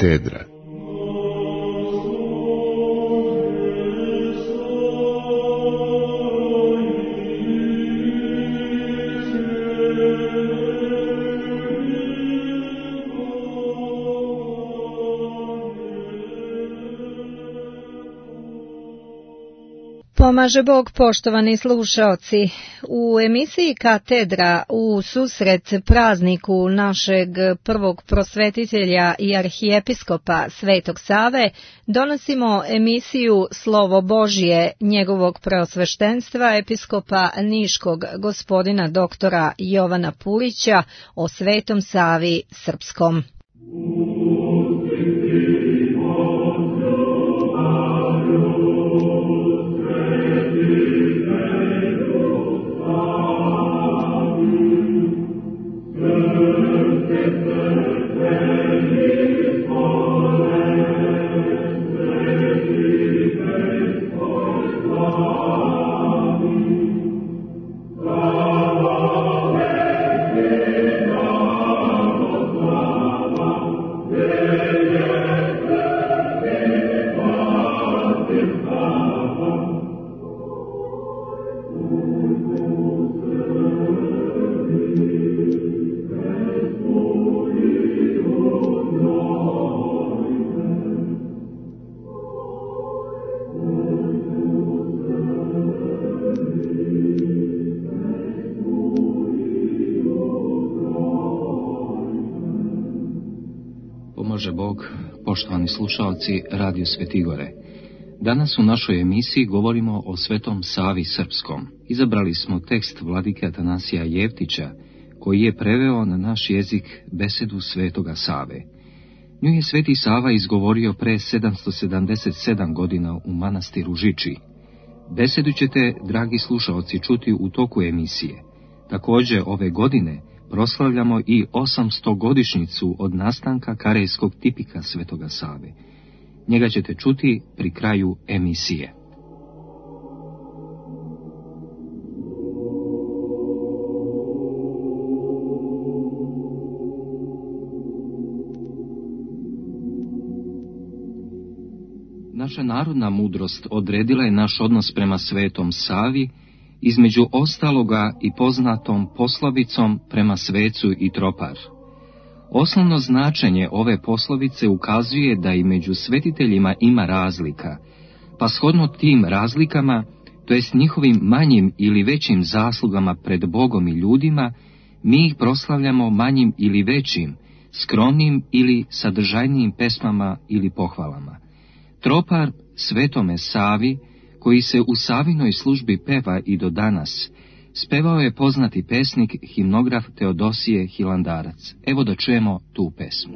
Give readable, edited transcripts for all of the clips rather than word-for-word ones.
katedra. Pomaže Bog, poštovani slušaoci. U emisiji Katedra u susret prazniku našeg prvog prosvetitelja i arhijepiskopa Svetog Save donosimo emisiju Slovo Božje njegovog preosveštenstva episkopa Niškog gospodina doktora Jovana Pulića o Svetom Savi Srpskom. Bože Bog, poštovani slušalci Radio Svetigore. Danas u našoj emisiji govorimo o Svetom Savi Srpskom. Izabrali smo tekst vladike Atanasija Jevtića, koji je preveo na naš jezik besedu Svetoga Save. Nju je Sveti Sava izgovorio pre 777 godina u manastiru Žiči. Besedu ćete, dragi slušalci, čuti u toku emisije. Također ove godine proslavljamo i 800-godišnjicu od nastanka karejskog tipika Svetoga Save. Njega ćete čuti pri kraju emisije. Naša narodna mudrost odredila je naš odnos prema Svetom Savi, između ostaloga i poznatom poslovicom prema svecu i tropar. Osnovno značenje ove poslovice ukazuje da i među svetiteljima ima razlika, pa shodno tim razlikama, to jest njihovim manjim ili većim zaslugama pred Bogom i ljudima, mi ih proslavljamo manjim ili većim, skromnim ili sadržajnijim pesmama ili pohvalama. Tropar Svetome Savi, koji se u Savinoj službi peva i do danas, spevao je poznati pesnik, himnograf Teodosije Hilandarac. Evo da čujemo tu pesmu.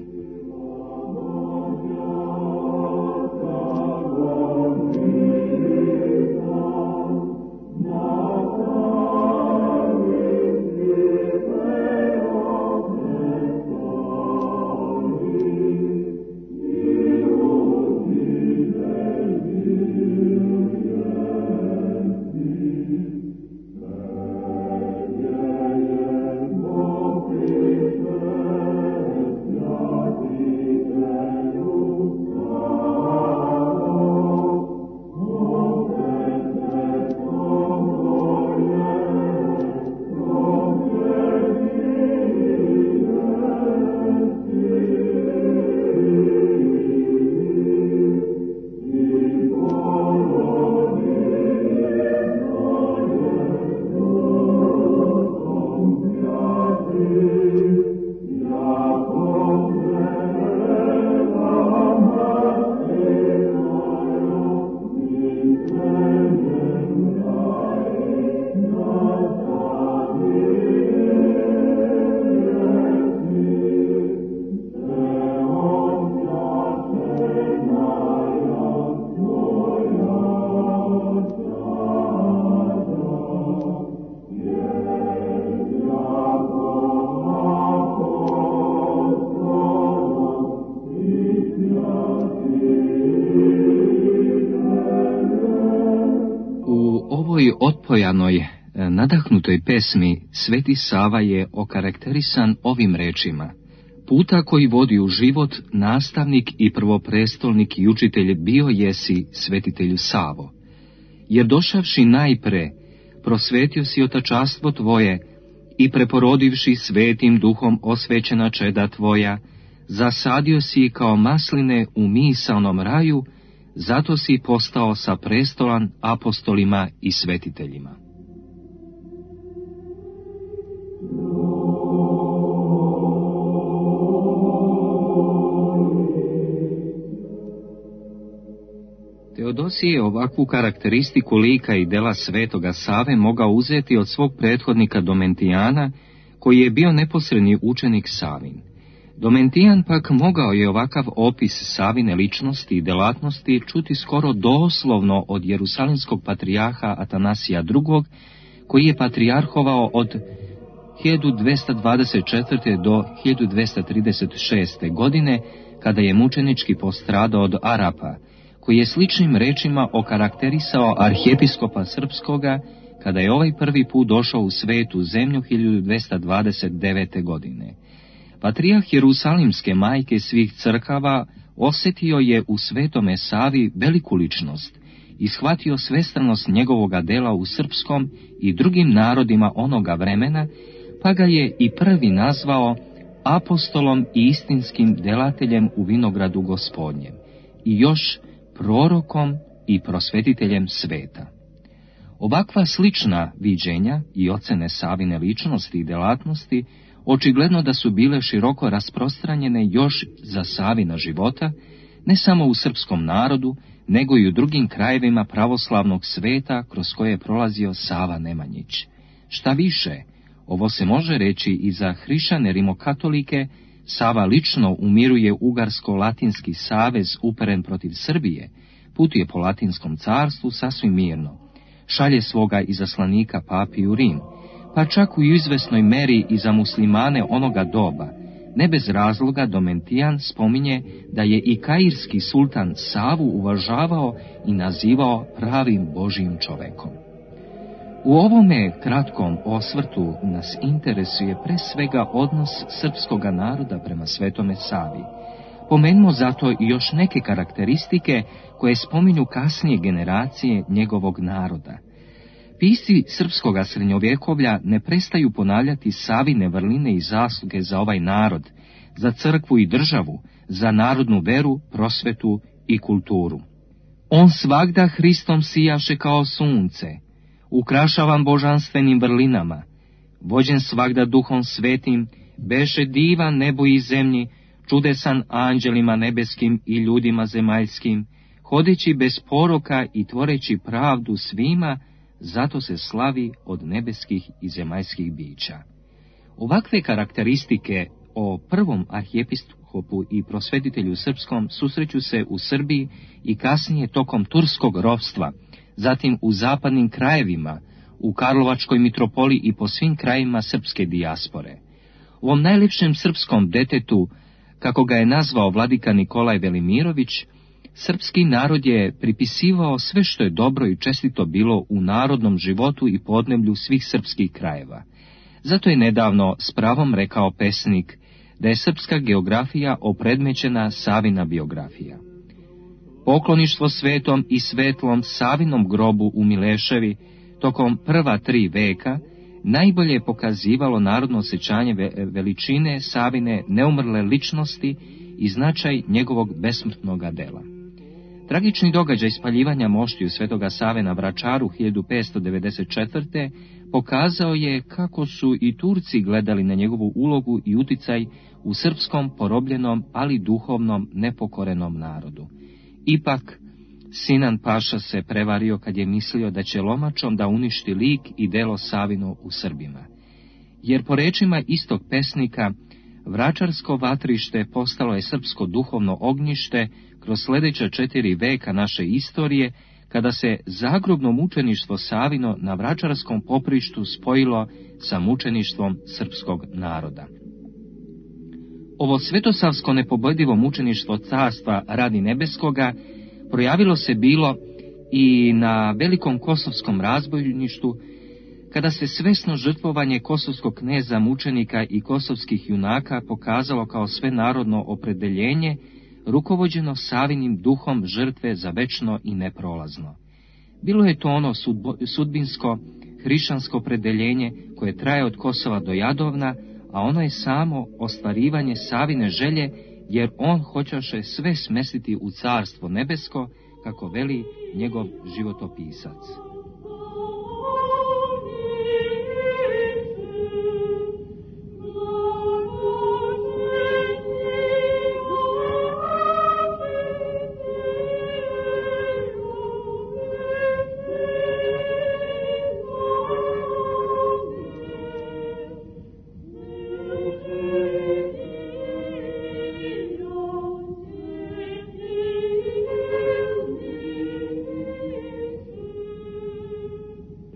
Otpojanoj, nadahnutoj pesmi Sveti Sava je okarakterisan ovim rečima: Puta koji vodi u život, nastavnik i prvoprestolnik i učitelj bio jesi, svetitelju Savo. Jer došavši najpre, prosvetio si otačastvo tvoje i preporodivši svetim duhom osvećena čeda tvoja, zasadio si kao masline u misaonom raju, zato si postao sa prestolan apostolima i svetiteljima. Teodosije je ovakvu karakteristiku lika i dela svetoga Save mogao uzeti od svog prethodnika Domentijana, koji je bio neposredni učenik Savin. Domentijan pak mogao je ovakav opis Savine ličnosti i delatnosti čuti skoro doslovno od jerusalimskog patrijarha Atanasija II, koji je patrijarhovao od 1224. do 1236. godine, kada je mučenički postradao od Arapa, koji je sličnim rečima okarakterisao arhijepiskopa srpskoga, kada je ovaj prvi put došao u svetu zemlju 1229. godine. Patrijarh Jerusalimske majke svih crkava osjetio je u svetome Savi veliku ličnost i shvatio svestranost njegovoga dela u srpskom i drugim narodima onoga vremena, pa ga je i prvi nazvao apostolom i istinskim delateljem u vinogradu Gospodnjem i još prorokom i prosvetiteljem sveta. Ovakva slična viđenja i ocene Savine ličnosti i delatnosti očigledno da su bile široko rasprostranjene još za Savina života, ne samo u srpskom narodu, nego i u drugim krajevima pravoslavnog sveta kroz koje je prolazio Sava Nemanjić. Šta više, ovo se može reći i za hrišćane rimokatolike. Sava lično umiruje Ugarsko-Latinski savez uperen protiv Srbije, putuje po Latinskom carstvu sasvim mirno, šalje svoga izaslanika papi u Rim, pa čak u izvesnoj meri i za muslimane onoga doba. Ne bez razloga Domentijan spominje da je i kairski sultan Savu uvažavao i nazivao pravim Božijim čovekom. U ovome kratkom osvrtu nas interesuje pre svega odnos srpskoga naroda prema svetome Savi. Pomenimo zato i još neke karakteristike koje spominju kasnije generacije njegovog naroda. Pisci srpskoga srednjovjekovlja ne prestaju ponavljati Savine vrline i zasluge za ovaj narod, za crkvu i državu, za narodnu veru, prosvetu i kulturu. On svagda Hristom sijaše kao sunce, ukrašavan božanstvenim vrlinama, vođen svagda duhom svetim, beše divan nebu i zemlji, čudesan anđelima nebeskim i ljudima zemaljskim, hodeći bez poroka i tvoreći pravdu svima, zato se slavi od nebeskih i zemaljskih bića. Ovakve karakteristike o prvom arhijepiskopu i prosvetitelju srpskom susreću se u Srbiji i kasnije tokom turskog ropstva, zatim u zapadnim krajevima, u Karlovačkoj mitropoliji i po svim krajima srpske dijaspore. U ovom najljepšem srpskom detetu, kako ga je nazvao vladika Nikolaj Velimirović, srpski narod je pripisivao sve što je dobro i čestito bilo u narodnom životu i podneblju svih srpskih krajeva. Zato je nedavno s pravom rekao pesnik da je srpska geografija opredmećena Savina biografija. Pokloništvo svetom i svetlom Savinom grobu u Mileševi tokom prva 3 veka najbolje je pokazivalo narodno osjećanje veličine Savine neumrle ličnosti i značaj njegovog besmrtnoga dela. Tragični događaj spaljivanja moštiju svetoga Save na Vračaru 1594. pokazao je kako su i Turci gledali na njegovu ulogu i uticaj u srpskom porobljenom, ali duhovnom nepokorenom narodu. Ipak, Sinan Paša se prevario kad je mislio da će lomačom da uništi lik i delo Savino u Srbima. Jer po rečima istog pesnika, Vračarsko vatrište postalo je srpsko duhovno ognjište kroz sljedeća 4 veka naše istorije, kada se zagrobno mučeništvo Savino na Vračarskom poprištu spojilo sa mučeništvom srpskog naroda. Ovo svetosavsko nepobodivo mučeništvo carstva radi nebeskoga projavilo se bilo i na velikom kosovskom razbojništu, kada se svesno žrtvovanje kosovskog kneza, mučenika i kosovskih junaka pokazalo kao svenarodno opredeljenje, rukovođeno Savinim duhom žrtve za večno i neprolazno. Bilo je to ono sudbinsko, hrišćansko opredeljenje koje traje od Kosova do Jadovna, a ono je samo ostvarivanje Savine želje, jer on hoćeše sve smestiti u carstvo nebesko, kako veli njegov životopisac.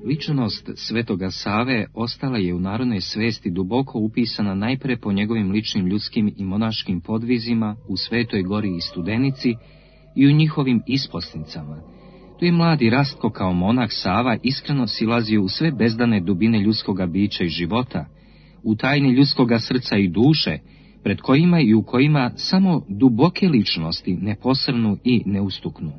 Ličnost Svetoga Save ostala je u narodnoj svesti duboko upisana najpre po njegovim ličnim ljudskim i monaškim podvizima u Svetoj Gori i Studenici i u njihovim isposnicama. Tu je mladi Rastko kao monah Sava iskreno silazio u sve bezdane dubine ljudskoga bića i života, u tajni ljudskoga srca i duše, pred kojima i u kojima samo duboke ličnosti ne posrnu i ne ustuknu.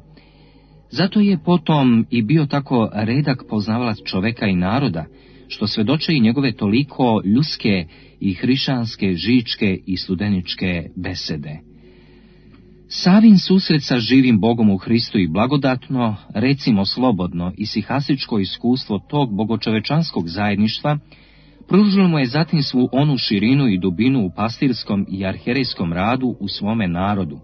Zato je potom i bio tako redak poznavalac čoveka i naroda, što svedoče i njegove toliko ljudske i hrišćanske, žičke i studeničke besede. Savin susret sa živim Bogom u Hristu i blagodatno, recimo slobodno i sihasičko iskustvo tog bogočovečanskog zajedništva, pružilo mu je zatim svu onu širinu i dubinu u pastirskom i arhijerejskom radu u svome narodu,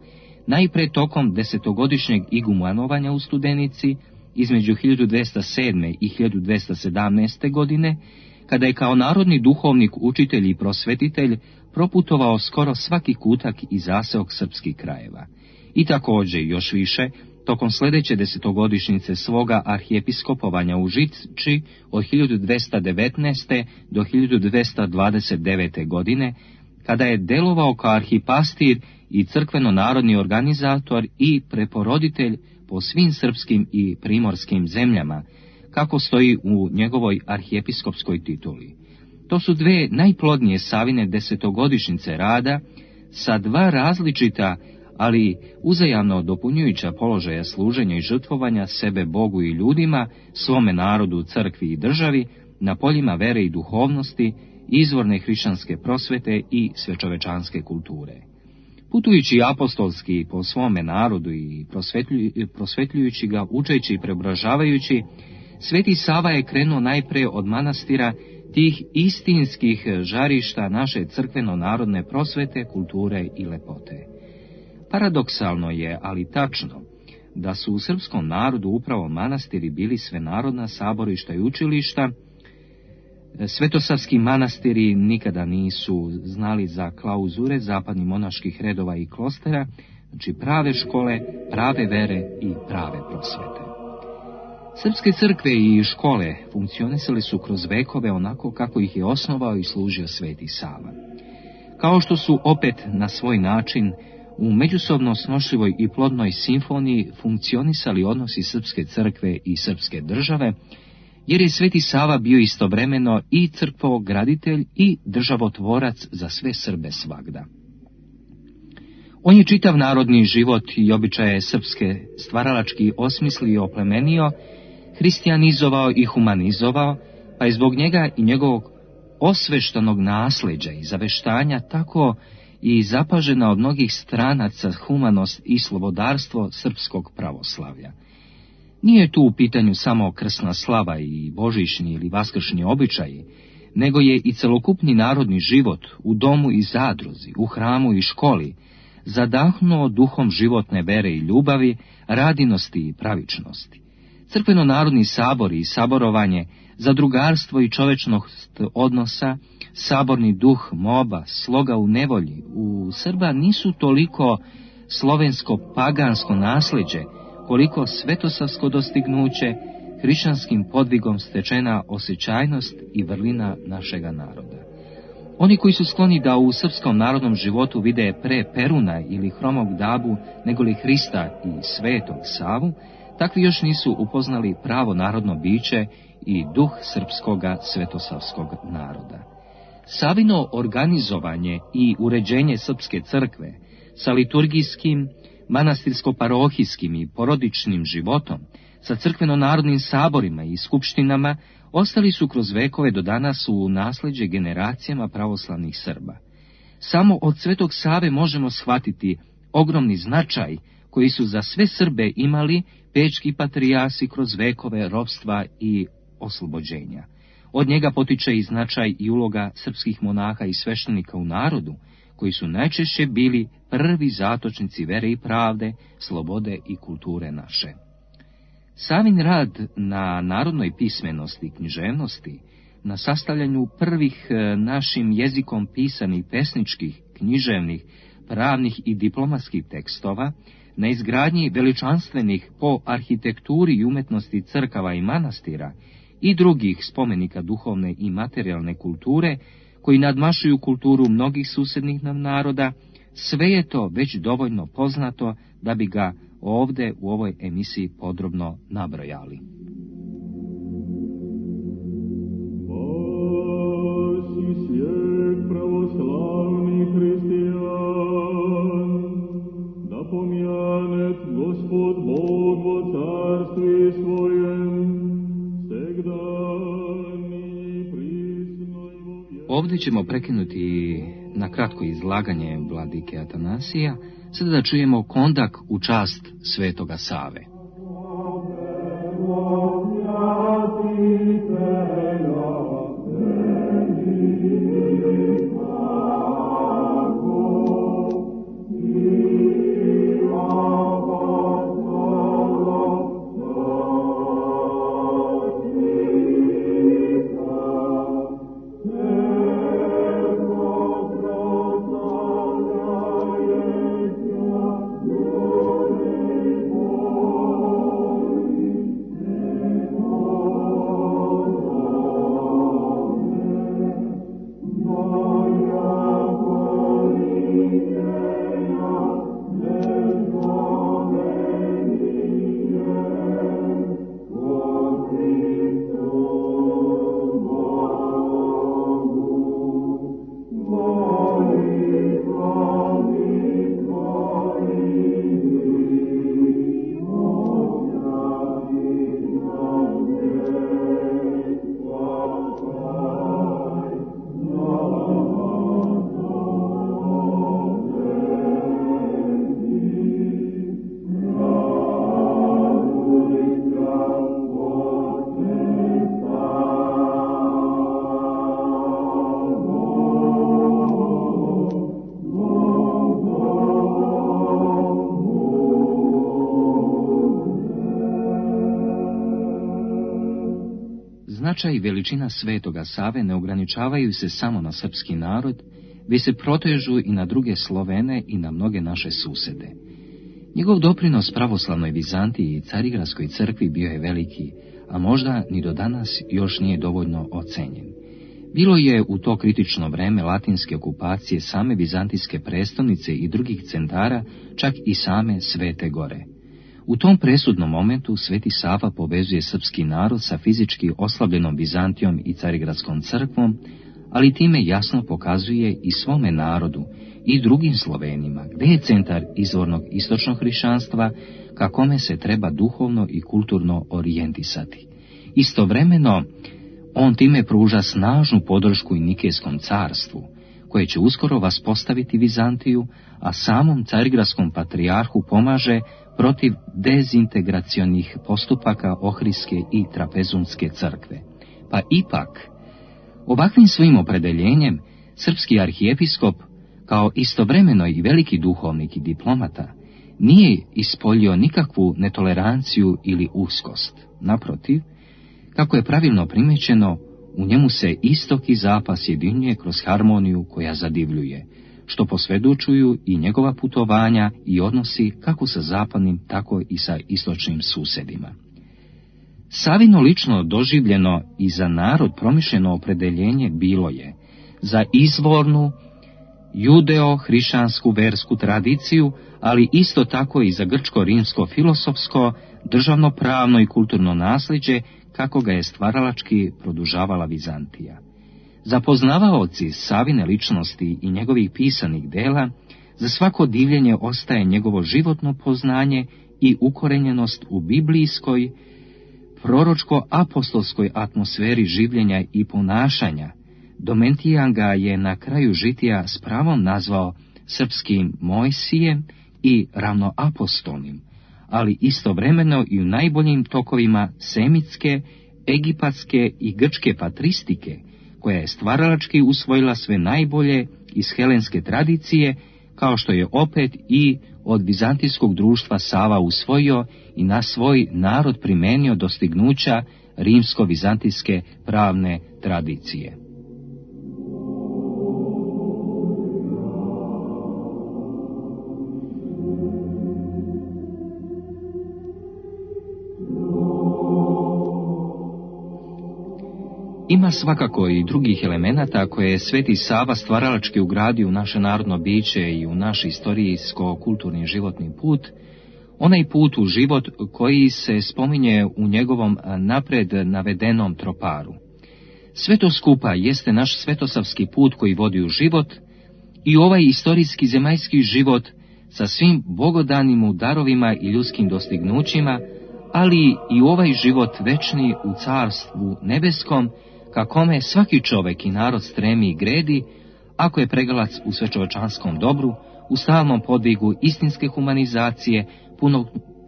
najpre tokom 10-godišnjeg igumanovanja u Studenici između 1207. i 1217. godine, kada je kao narodni duhovnik, učitelj i prosvetitelj proputovao skoro svaki kutak i zaseok srpskih krajeva. I također, još više, tokom sljedeće 10-godišnjice svoga arhijepiskopovanja u Žičči od 1219. do 1229. godine, kada je delovao kao arhipastir i crkveno-narodni organizator i preporoditelj po svim srpskim i primorskim zemljama, kako stoji u njegovoj arhijepiskopskoj tituli. To su dve najplodnije Savine 10-godišnjice rada, sa dva različita, ali uzajamno dopunjujuća položaja služenja i žrtvovanja sebe Bogu i ljudima, svome narodu, crkvi i državi, na poljima vere i duhovnosti, izvorne hrišćanske prosvete i svečovečanske kulture. Putujući apostolski po svome narodu i prosvetljujući ga, učeći i preobražavajući, Sveti Sava je krenuo najpre od manastira tih istinskih žarišta naše crkveno-narodne prosvete, kulture i lepote. Paradoksalno je, ali tačno, da su u srpskom narodu upravo manastiri bili svenarodna saborišta i učilišta. Svetosavski manastiri nikada nisu znali za klauzure zapadnih monaških redova i klostera, znači prave škole, prave vere i prave prosvete. Srpske crkve i škole funkcionisali su kroz vekove onako kako ih je osnovao i služio Sveti Sava. Kao što su opet na svoj način u međusobno snošljivoj i plodnoj simfoniji funkcionisali odnosi Srpske crkve i Srpske države, jer je Sveti Sava bio istovremeno i crkvograditelj i državotvorac za sve Srbe svagda. On je čitav narodni život i običaje srpske stvaralački osmislio i oplemenio, hristijanizovao i humanizovao, pa je zbog njega i njegovog osveštanog nasljeđa i zaveštanja tako i zapažena od mnogih stranaca humanost i slobodarstvo srpskog pravoslavlja. Nije tu u pitanju samo krsna slava i božićni ili vaskršnji običaji, nego je i celokupni narodni život u domu i zadruzi, u hramu i školi, zadahnuo duhom životne vere i ljubavi, radinosti i pravičnosti. Crkveno-narodni sabori i saborovanje, zadrugarstvo i čovečnost odnosa, saborni duh moba, sloga u nevolji, u Srba nisu toliko slovensko-pagansko nasljeđe, koliko svetosavsko dostignuće, hrišćanskim podvigom stečena osjećajnost i vrlina našega naroda. Oni koji su skloni da u srpskom narodnom životu vide pre Peruna ili hromog Dabu negoli Hrista i Svetog Savu, takvi još nisu upoznali pravo narodno biće i duh srpskoga svetosavskog naroda. Savino organizovanje i uređenje srpske crkve sa liturgijskim, manastirsko-parohijskim i porodičnim životom, sa crkveno-narodnim saborima i skupštinama, ostali su kroz vekove do danas u nasljeđe generacijama pravoslavnih Srba. Samo od Svetog Save možemo shvatiti ogromni značaj koji su za sve Srbe imali pečki patrijasi kroz vekove ropstva i oslobođenja. Od njega potiče i značaj i uloga srpskih monaha i sveštenika u narodu, koji su najčešće bili prvi zatočnici vere i pravde, slobode i kulture naše. Savin rad na narodnoj pismenosti i književnosti, na sastavljanju prvih našim jezikom pisanih pesničkih, književnih, pravnih i diplomatskih tekstova, na izgradnji veličanstvenih po arhitekturi i umetnosti crkava i manastira i drugih spomenika duhovne i materijalne kulture, koji nadmašuju kulturu mnogih susjednih nam naroda, sve je to već dovoljno poznato da bi ga ovdje u ovoj emisiji podrobno nabrojali. Pravoslavni hristijan, da pomjanet Gospod Bog vo carstvi svojem, segdani prisno i vo vjeku. Ovdje ćemo prekinuti na kratko izlaganje vladike Atanasija, sada da čujemo kondak u čast Svetoga Save. Značaj i veličina Svetoga Save ne ograničavaju se samo na srpski narod, već se protežu i na druge Slovene i na mnoge naše susede. Njegov doprinos pravoslavnoj Vizantiji i Carigradskoj crkvi bio je veliki, a možda ni do danas još nije dovoljno ocenjen. Bilo je u to kritično vreme latinske okupacije same vizantijske prestolnice i drugih centara, čak i same Svete Gore. U tom presudnom momentu Sveti Sava povezuje srpski narod sa fizički oslabljenom Vizantijom i Carigradskom crkvom, ali time jasno pokazuje i svome narodu i drugim Slovenima gdje je centar izvornog istočnog hrišćanstva, ka kome se treba duhovno i kulturno orijentisati. Istovremeno, on time pruža snažnu podršku i Nikejskom carstvu, koje će uskoro vaspostaviti Vizantiju, a samom Carigradskom patrijarhu pomaže protiv dezintegracionih postupaka Ohridske i Trapezunske crkve. Pa ipak, ovakvim svojim opredeljenjem, srpski arhijepiskop, kao istovremeno i veliki duhovnik i diplomata, nije ispoljio nikakvu netoleranciju ili uskost. Naprotiv, kako je pravilno primećeno, u njemu se istok i zapad sjedinjuje kroz harmoniju koja zadivljuje, što posvjedočuju i njegova putovanja i odnosi kako sa zapadnim, tako i sa istočnim susjedima. Savino lično doživljeno i za narod promišljeno opredeljenje bilo je za izvornu judeo-hrišćansku versku tradiciju, ali isto tako i za grčko-rimsko filosofsko, državno-pravno i kulturno nasljeđe, kako ga je stvaralački produžavala Vizantija. Za poznavaoci Savine ličnosti i njegovih pisanih dela, za svako divljenje ostaje njegovo životno poznanje i ukorenjenost u biblijskoj, proročko-apostolskoj atmosferi življenja i ponašanja. Domentijan ga je na kraju žitija s pravom nazvao srpskim Mojsijem i ravnoapostolnim, ali istovremeno i u najboljim tokovima semitske, egipatske i grčke patristike, koja je stvaralački usvojila sve najbolje iz helenske tradicije, kao što je opet i od vizantijskog društva Sava usvojio i na svoj narod primenio dostignuća rimsko-vizantijske pravne tradicije. Ima svakako i drugih elemenata koje je Sveti Sava stvaralački ugradio u naše narodno biće i u naš istorijsko-kulturni životni put, onaj put u život koji se spominje u njegovom napred navedenom troparu. Sve to skupa jeste naš svetosavski put koji vodi u život i ovaj istorijski zemaljski život sa svim bogodanim mu darovima i ljudskim dostignućima, ali i ovaj život večni u carstvu nebeskom, ka kome svaki čovek i narod stremi i gredi, ako je pregalac u svečovečanskom dobru, u stalnom podvigu istinske humanizacije,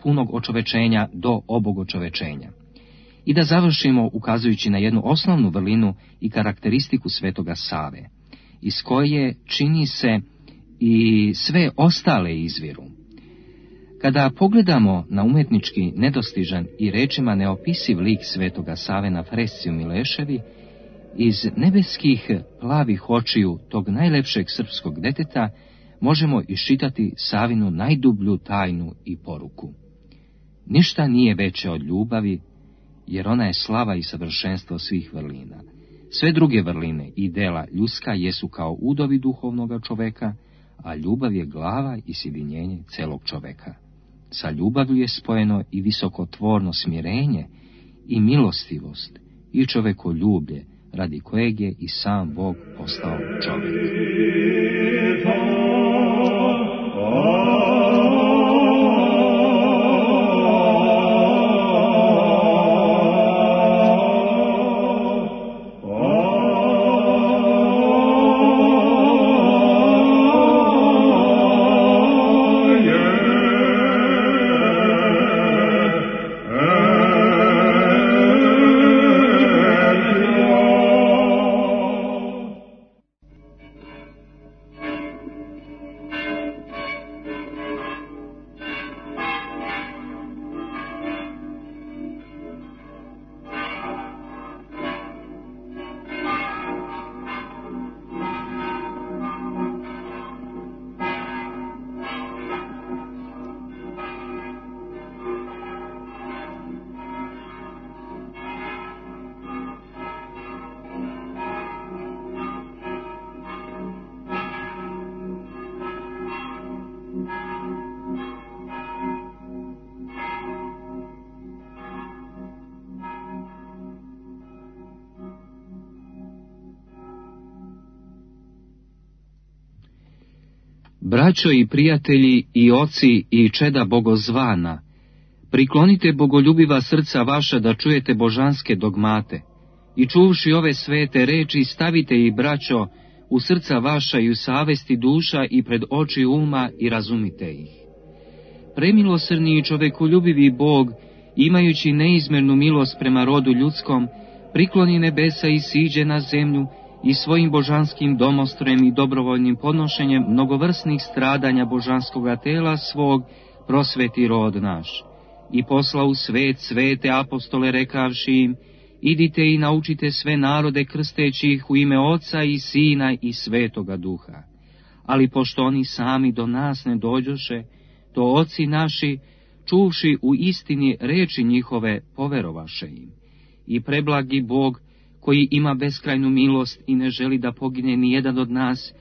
punog očovečenja do obogočovečenja. I da završimo ukazujući na jednu osnovnu vrlinu i karakteristiku Svetoga Save, iz koje čini se i sve ostale izviru. Kada pogledamo na umetnički nedostižan i rečima neopisiv lik Svetoga Save na fresci u Mileševi, iz nebeskih plavih očiju tog najlepšeg srpskog deteta možemo iščitati Savinu najdublju tajnu i poruku. Ništa nije veće od ljubavi, jer ona je slava i savršenstvo svih vrlina. Sve druge vrline i dela ljudska jesu kao udovi duhovnoga čoveka, a ljubav je glava i sjedinjenje celog čoveka. Sa ljubavlju je spojeno i visokotvorno smirenje i milostivost i čovekoljublje, radi kojeg je i sam Bog postao čovjek. Braćo i prijatelji i oci i čeda bogozvana, priklonite bogoljubiva srca vaša da čujete božanske dogmate i čuvši ove svete reči stavite ih, braćo, u srca vaša i u savesti duša i pred oči uma i razumite ih. Premilosrdni i čovekoljubivi Bog, imajući neizmernu milost prema rodu ljudskom, prikloni nebesa i siđe na zemlju i svojim božanskim domostrojem i dobrovoljnim podnošenjem mnogovrsnih stradanja božanskoga tela svog prosveti rod naš. I posla u svet svete apostole rekavši im, idite i naučite sve narode krsteći ih u ime Oca i Sina i Svetoga Duha. Ali pošto oni sami do nas ne dođoše, to oci naši, čuvši u istini reči njihove, poverovaše im. I preblagi Bog, koji ima beskrajnu milost i ne želi da pogine ni jedan od nas,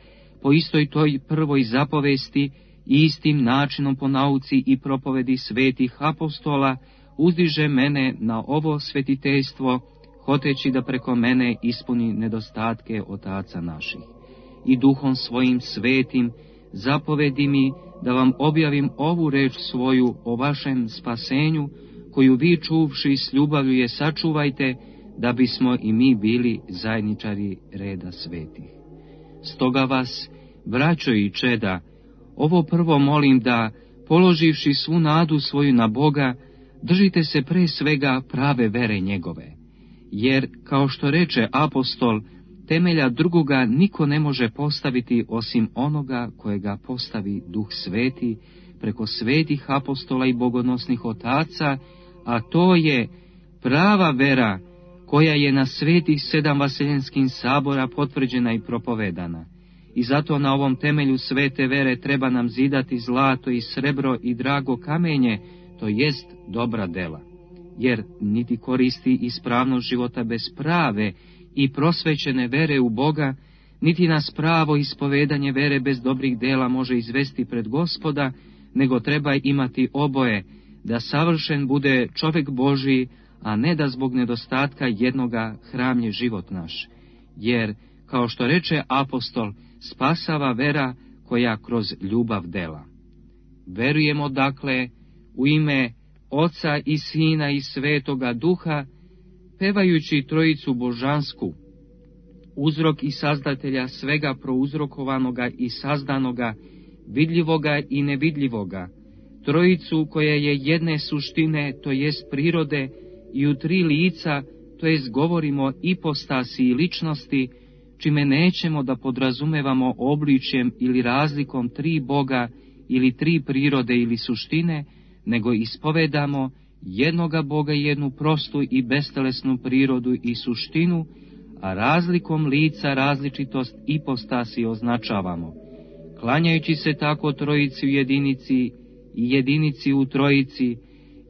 po istoj toj prvoj zapovesti i istim načinom po nauci i propovedi svetih apostola, uzdiže mene na ovo svetiteljstvo, hoteći da preko mene ispuni nedostatke otaca naših. I duhom svojim svetim zapovedi mi da vam objavim ovu reč svoju o vašem spasenju, koju vi čuvši s ljubavlju je sačuvajte, da bismo i mi bili zajedničari reda svetih. Stoga vas, braćo i čeda, ovo prvo molim da, položivši svu nadu svoju na Boga, držite se pre svega prave vere njegove. Jer, kao što reče apostol, temelja drugoga niko ne može postaviti osim onoga kojega postavi Duh Sveti preko svetih apostola i bogonosnih otaca, a to je prava vera koja je na svetih 7 vaseljenskih sabora potvrđena i propovedana. I zato na ovom temelju svete vere treba nam zidati zlato i srebro i drago kamenje, to jest dobra dela. Jer niti koristi ispravnost života bez prave i prosvećene vere u Boga, niti nas pravo ispovedanje vere bez dobrih dela može izvesti pred Gospoda, nego treba imati oboje, da savršen bude čovjek Božiji, a ne da zbog nedostatka jednoga hramlje život naš. Jer, kao što reče apostol, spasava vera koja kroz ljubav dela. Verujemo dakle u ime Oca i Sina i Svetoga Duha, pevajući Trojicu Božansku, uzrok i sazdatelja svega prouzrokovanoga i sazdanoga, vidljivoga i nevidljivoga, Trojicu koja je jedne suštine, to jest prirode, i u 3 lica, to jest govorimo ipostasi i ličnosti, čime nećemo da podrazumevamo obličjem ili razlikom 3 Boga ili 3 prirode ili suštine, nego ispovedamo jednoga Boga i jednu prostu i bestelesnu prirodu i suštinu, a razlikom lica različitost ipostasi označavamo, klanjajući se tako Trojici u jedinici i jedinici u Trojici,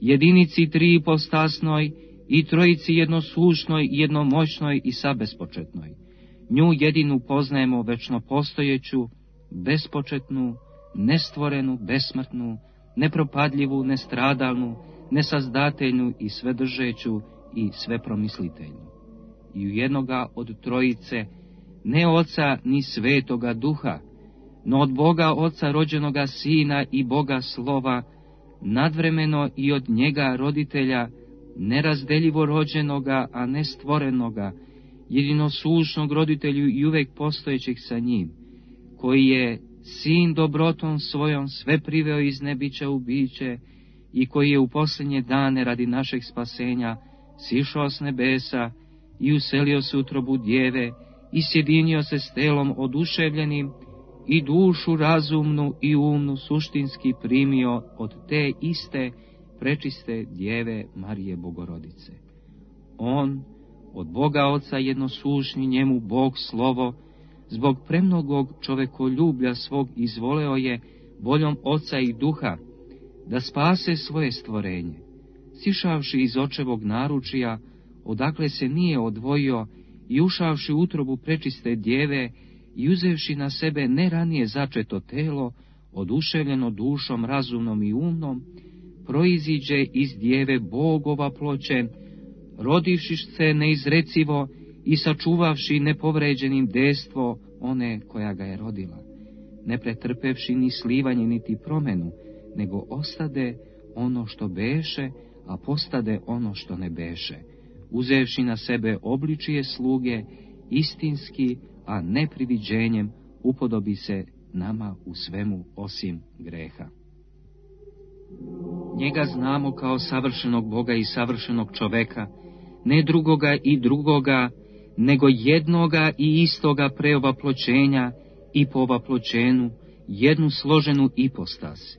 jedinici 3 ipostasnoj i Trojici jednoslušnoj, jednomoćnoj i sabespočetnoj. Nju jedinu poznajemo večno postojeću, bespočetnu, nestvorenu, besmrtnu, nepropadljivu, nestradalnu, nesazdateljnu i svedržeću i svepromisliteljnu. I u jednoga od Trojice, ne Oca ni Svetoga Duha, no od Boga Oca rođenoga Sina i Boga Slova, nadvremeno i od njega roditelja, nerazdeljivo rođenoga, a ne stvorenoga, jedinoslušnog roditelju i uvek postojećeg sa njim, koji je Sin dobrotom svojom sve priveo iz nebića u biće i koji je u posljednje dane radi našeg spasenja sišao s nebesa i uselio se u utrobu djeve i sjedinio se s telom oduševljenim i dušu razumnu i umnu suštinski primio od te iste prečiste djeve Marije Bogorodice. On, od Boga Oca jednoslušni njemu Bog Slovo, zbog premnogog čovekoljublja svog izvoleo je voljom Oca i Duha da spase svoje stvorenje, sišavši iz očevog naručija, odakle se nije odvojio, i ušavši u utrobu prečiste djeve i uzevši na sebe ne ranije začeto telo, oduševljeno dušom razumnom i umnom, proiziđe iz djeve Bogova ploče, rodivši se neizrecivo i sačuvavši nepovređenim destvo one koja ga je rodila, ne pretrpevši ni slivanje niti promenu, nego ostade ono što beše, a postade ono što ne beše, uzevši na sebe obličije sluge, istinski, a ne priviđenjem, upodobi se nama u svemu osim greha. Njega znamo kao savršenog Boga i savršenog čoveka, ne drugoga i drugoga, nego jednoga i istoga preovaploćenja i po ovaploćenu, jednu složenu ipostas.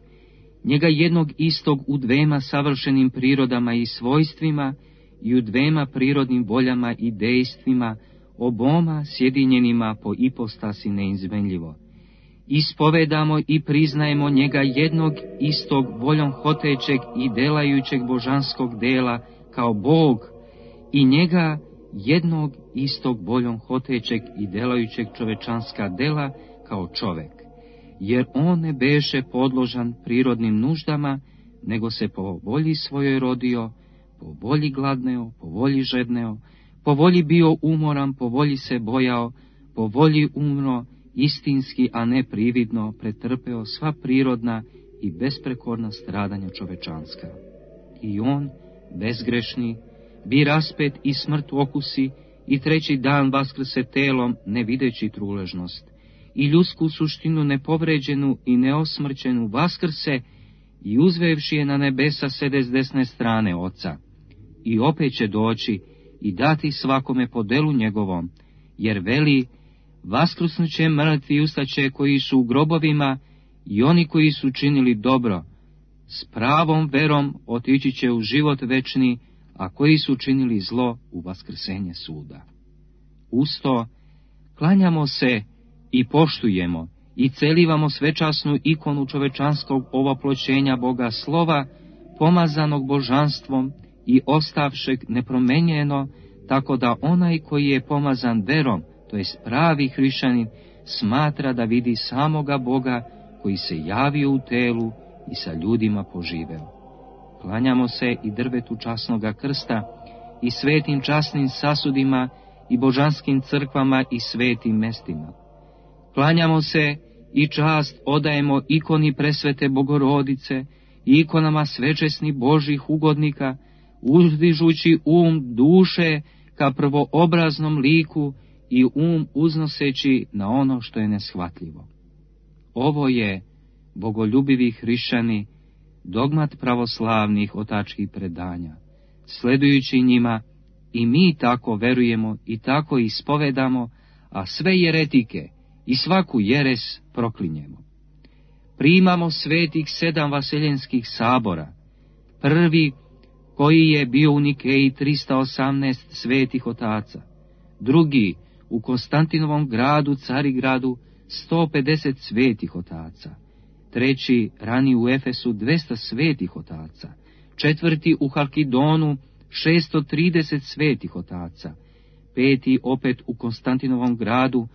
Njega jednog istog u 2 savršenim prirodama i svojstvima i u 2 prirodnim voljama i dejstvima, oboma sjedinjenima po ipostasi neizmenljivo. Ispovedamo i priznajemo njega jednog istog voljom hotećeg i delajućeg božanskog dela kao Bog i njega jednog istog voljom hotećeg i delajućeg čovečanska dela kao čovek, jer on ne beše podložan prirodnim nuždama, nego se po volji svojoj rodio, po volji gladneo, po volji žedneo, po volji bio umoran, po volji se bojao, po volji umro, istinski, a ne prividno, pretrpeo sva prirodna i besprekorna stradanja čovečanska. I on, bezgrešni, bi raspet i smrt okusi, i treći dan vaskrse telom, ne videći truležnost, i ljudsku suštinu nepovređenu i neosmrćenu vaskrse, i uzvevši je na nebesa sede s desne strane Oca. I opet će doći i dati svakome po delu njegovom, jer veli, vaskrusnuće mrtvi i ustaće koji su u grobovima, i oni koji su činili dobro, s pravom verom otići će u život večni, a koji su činili zlo u vaskrsenje suda. Usto, klanjamo se i poštujemo i celivamo svečasnu ikonu čovečanskog ovoploćenja Boga slova, pomazanog božanstvom i ostavšeg nepromenjeno, tako da onaj koji je pomazan verom, to jest pravi hrišćanin, smatra da vidi samoga Boga koji se javio u telu i sa ljudima poživeo. Klanjamo se i drvetu časnoga krsta i svetim časnim sasudima i božanskim crkvama i svetim mestima. Klanjamo se i čast odajemo ikoni presvete Bogorodice i ikonama svečesnih Božih ugodnika, uzdižući duše ka prvoobraznom liku i uznoseći na ono što je neshvatljivo. Ovo je, bogoljubivi hrišćani, dogmat pravoslavnih otačkih predanja. Sledujući njima, i mi tako verujemo i tako ispovedamo, a sve jeretike i svaku jeres proklinjemo. Primamo svetih 7 vaseljenskih sabora, prvi koji je bio u Nikeji 318 svetih otaca, drugi u Konstantinovom gradu, Carigradu, 150 svetih otaca, treći rani u Efesu 200 svetih otaca, četvrti u Halkidonu 630 svetih otaca, peti opet u Konstantinovom gradu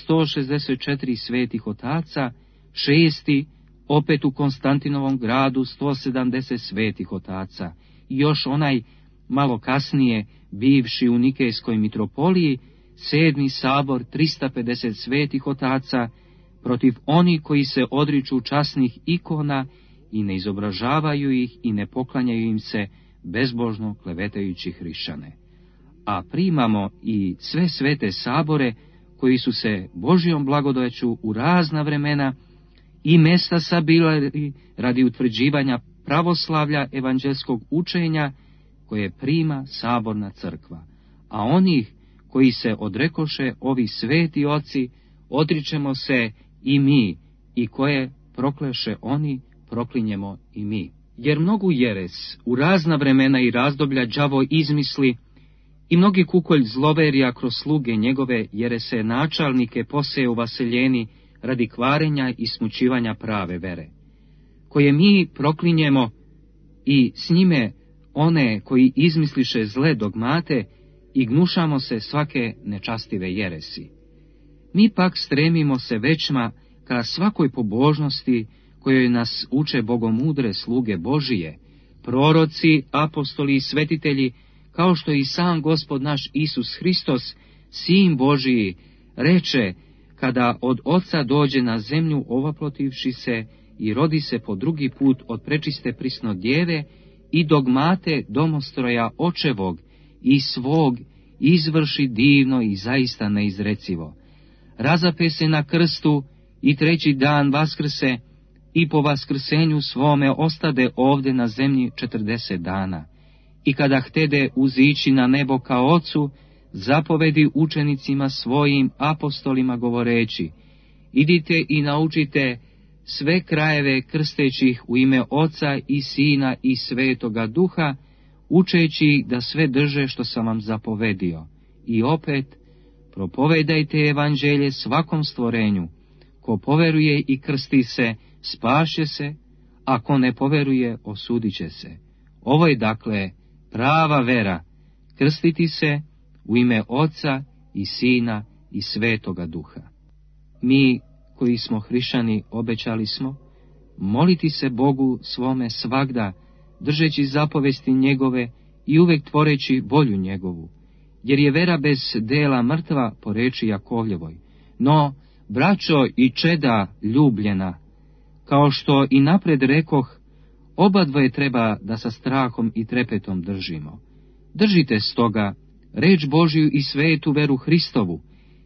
164 svetih otaca, šesti opet u Konstantinovom gradu 170 svetih otaca, i još onaj malo kasnije bivši u Nikejskoj mitropoliji 7. sabor 350 svetih otaca, protiv onih koji se odriču časnih ikona i ne izobražavaju ih i ne poklanjaju im se, bezbožno klevetajući hrišćane. A primamo i sve svete sabore koji su se Božjom blagodaću u razna vremena i mesta sabirali radi utvrđivanja pravoslavlja evanđelskog učenja koje prima saborna crkva, a onih koji se odrekoše ovi sveti oci odričemo se i mi, i koje prokleše oni proklinjemo i mi. Jer mnogu jeres u razna vremena i razdoblja đavo izmisli i mnogi kukolj zloverija kroz sluge njegove jerese načalnike poseje u vaseljeni radi kvarenja i smućivanja prave vere, koje mi proklinjemo i s njime one koji izmisliše zle dogmate i gnušamo se svake nečastive jeresi. Mi pak stremimo se većma ka svakoj pobožnosti kojoj nas uče bogomudre sluge Božije, proroci, apostoli i svetitelji, kao što i sam Gospod naš Isus Hristos, Sin Božiji, reče, kada od Oca dođe na zemlju ovoplotivši se i rodi se po drugi put od prečiste prisno djeve i dogmate domostroja očevog i svog izvrši divno i zaista neizrecivo. Razape se na krstu i treći dan vaskrse i po vaskrsenju svome ostade ovde na zemlji 40 dana. I kada htede uzići na nebo ka Ocu, zapovedi učenicima svojim apostolima govoreći, idite i naučite sve krajeve krsteći ih u ime Oca i Sina i Svetoga Duha, učeći ih da sve drže što sam vam zapovedio. I opet, propovedajte evanđelje svakom stvorenju. Ko poveruje i krsti se, spaše se, a ko ne poveruje, osudit će se. Ovo je dakle prava vera, krstiti se u ime Oca i Sina i Svetoga Duha. Mi koji smo hrišćani, obećali smo moliti se Bogu svome svagda, držeći zapovesti njegove i uvek tvoreći volju njegovu, jer je vera bez dela mrtva, po reči Jakovljevoj. No, braćo i čeda ljubljena, kao što i napred rekoh, obadvoje treba da sa strahom i trepetom držimo. Držite stoga reč Božju i svetu veru Hristovu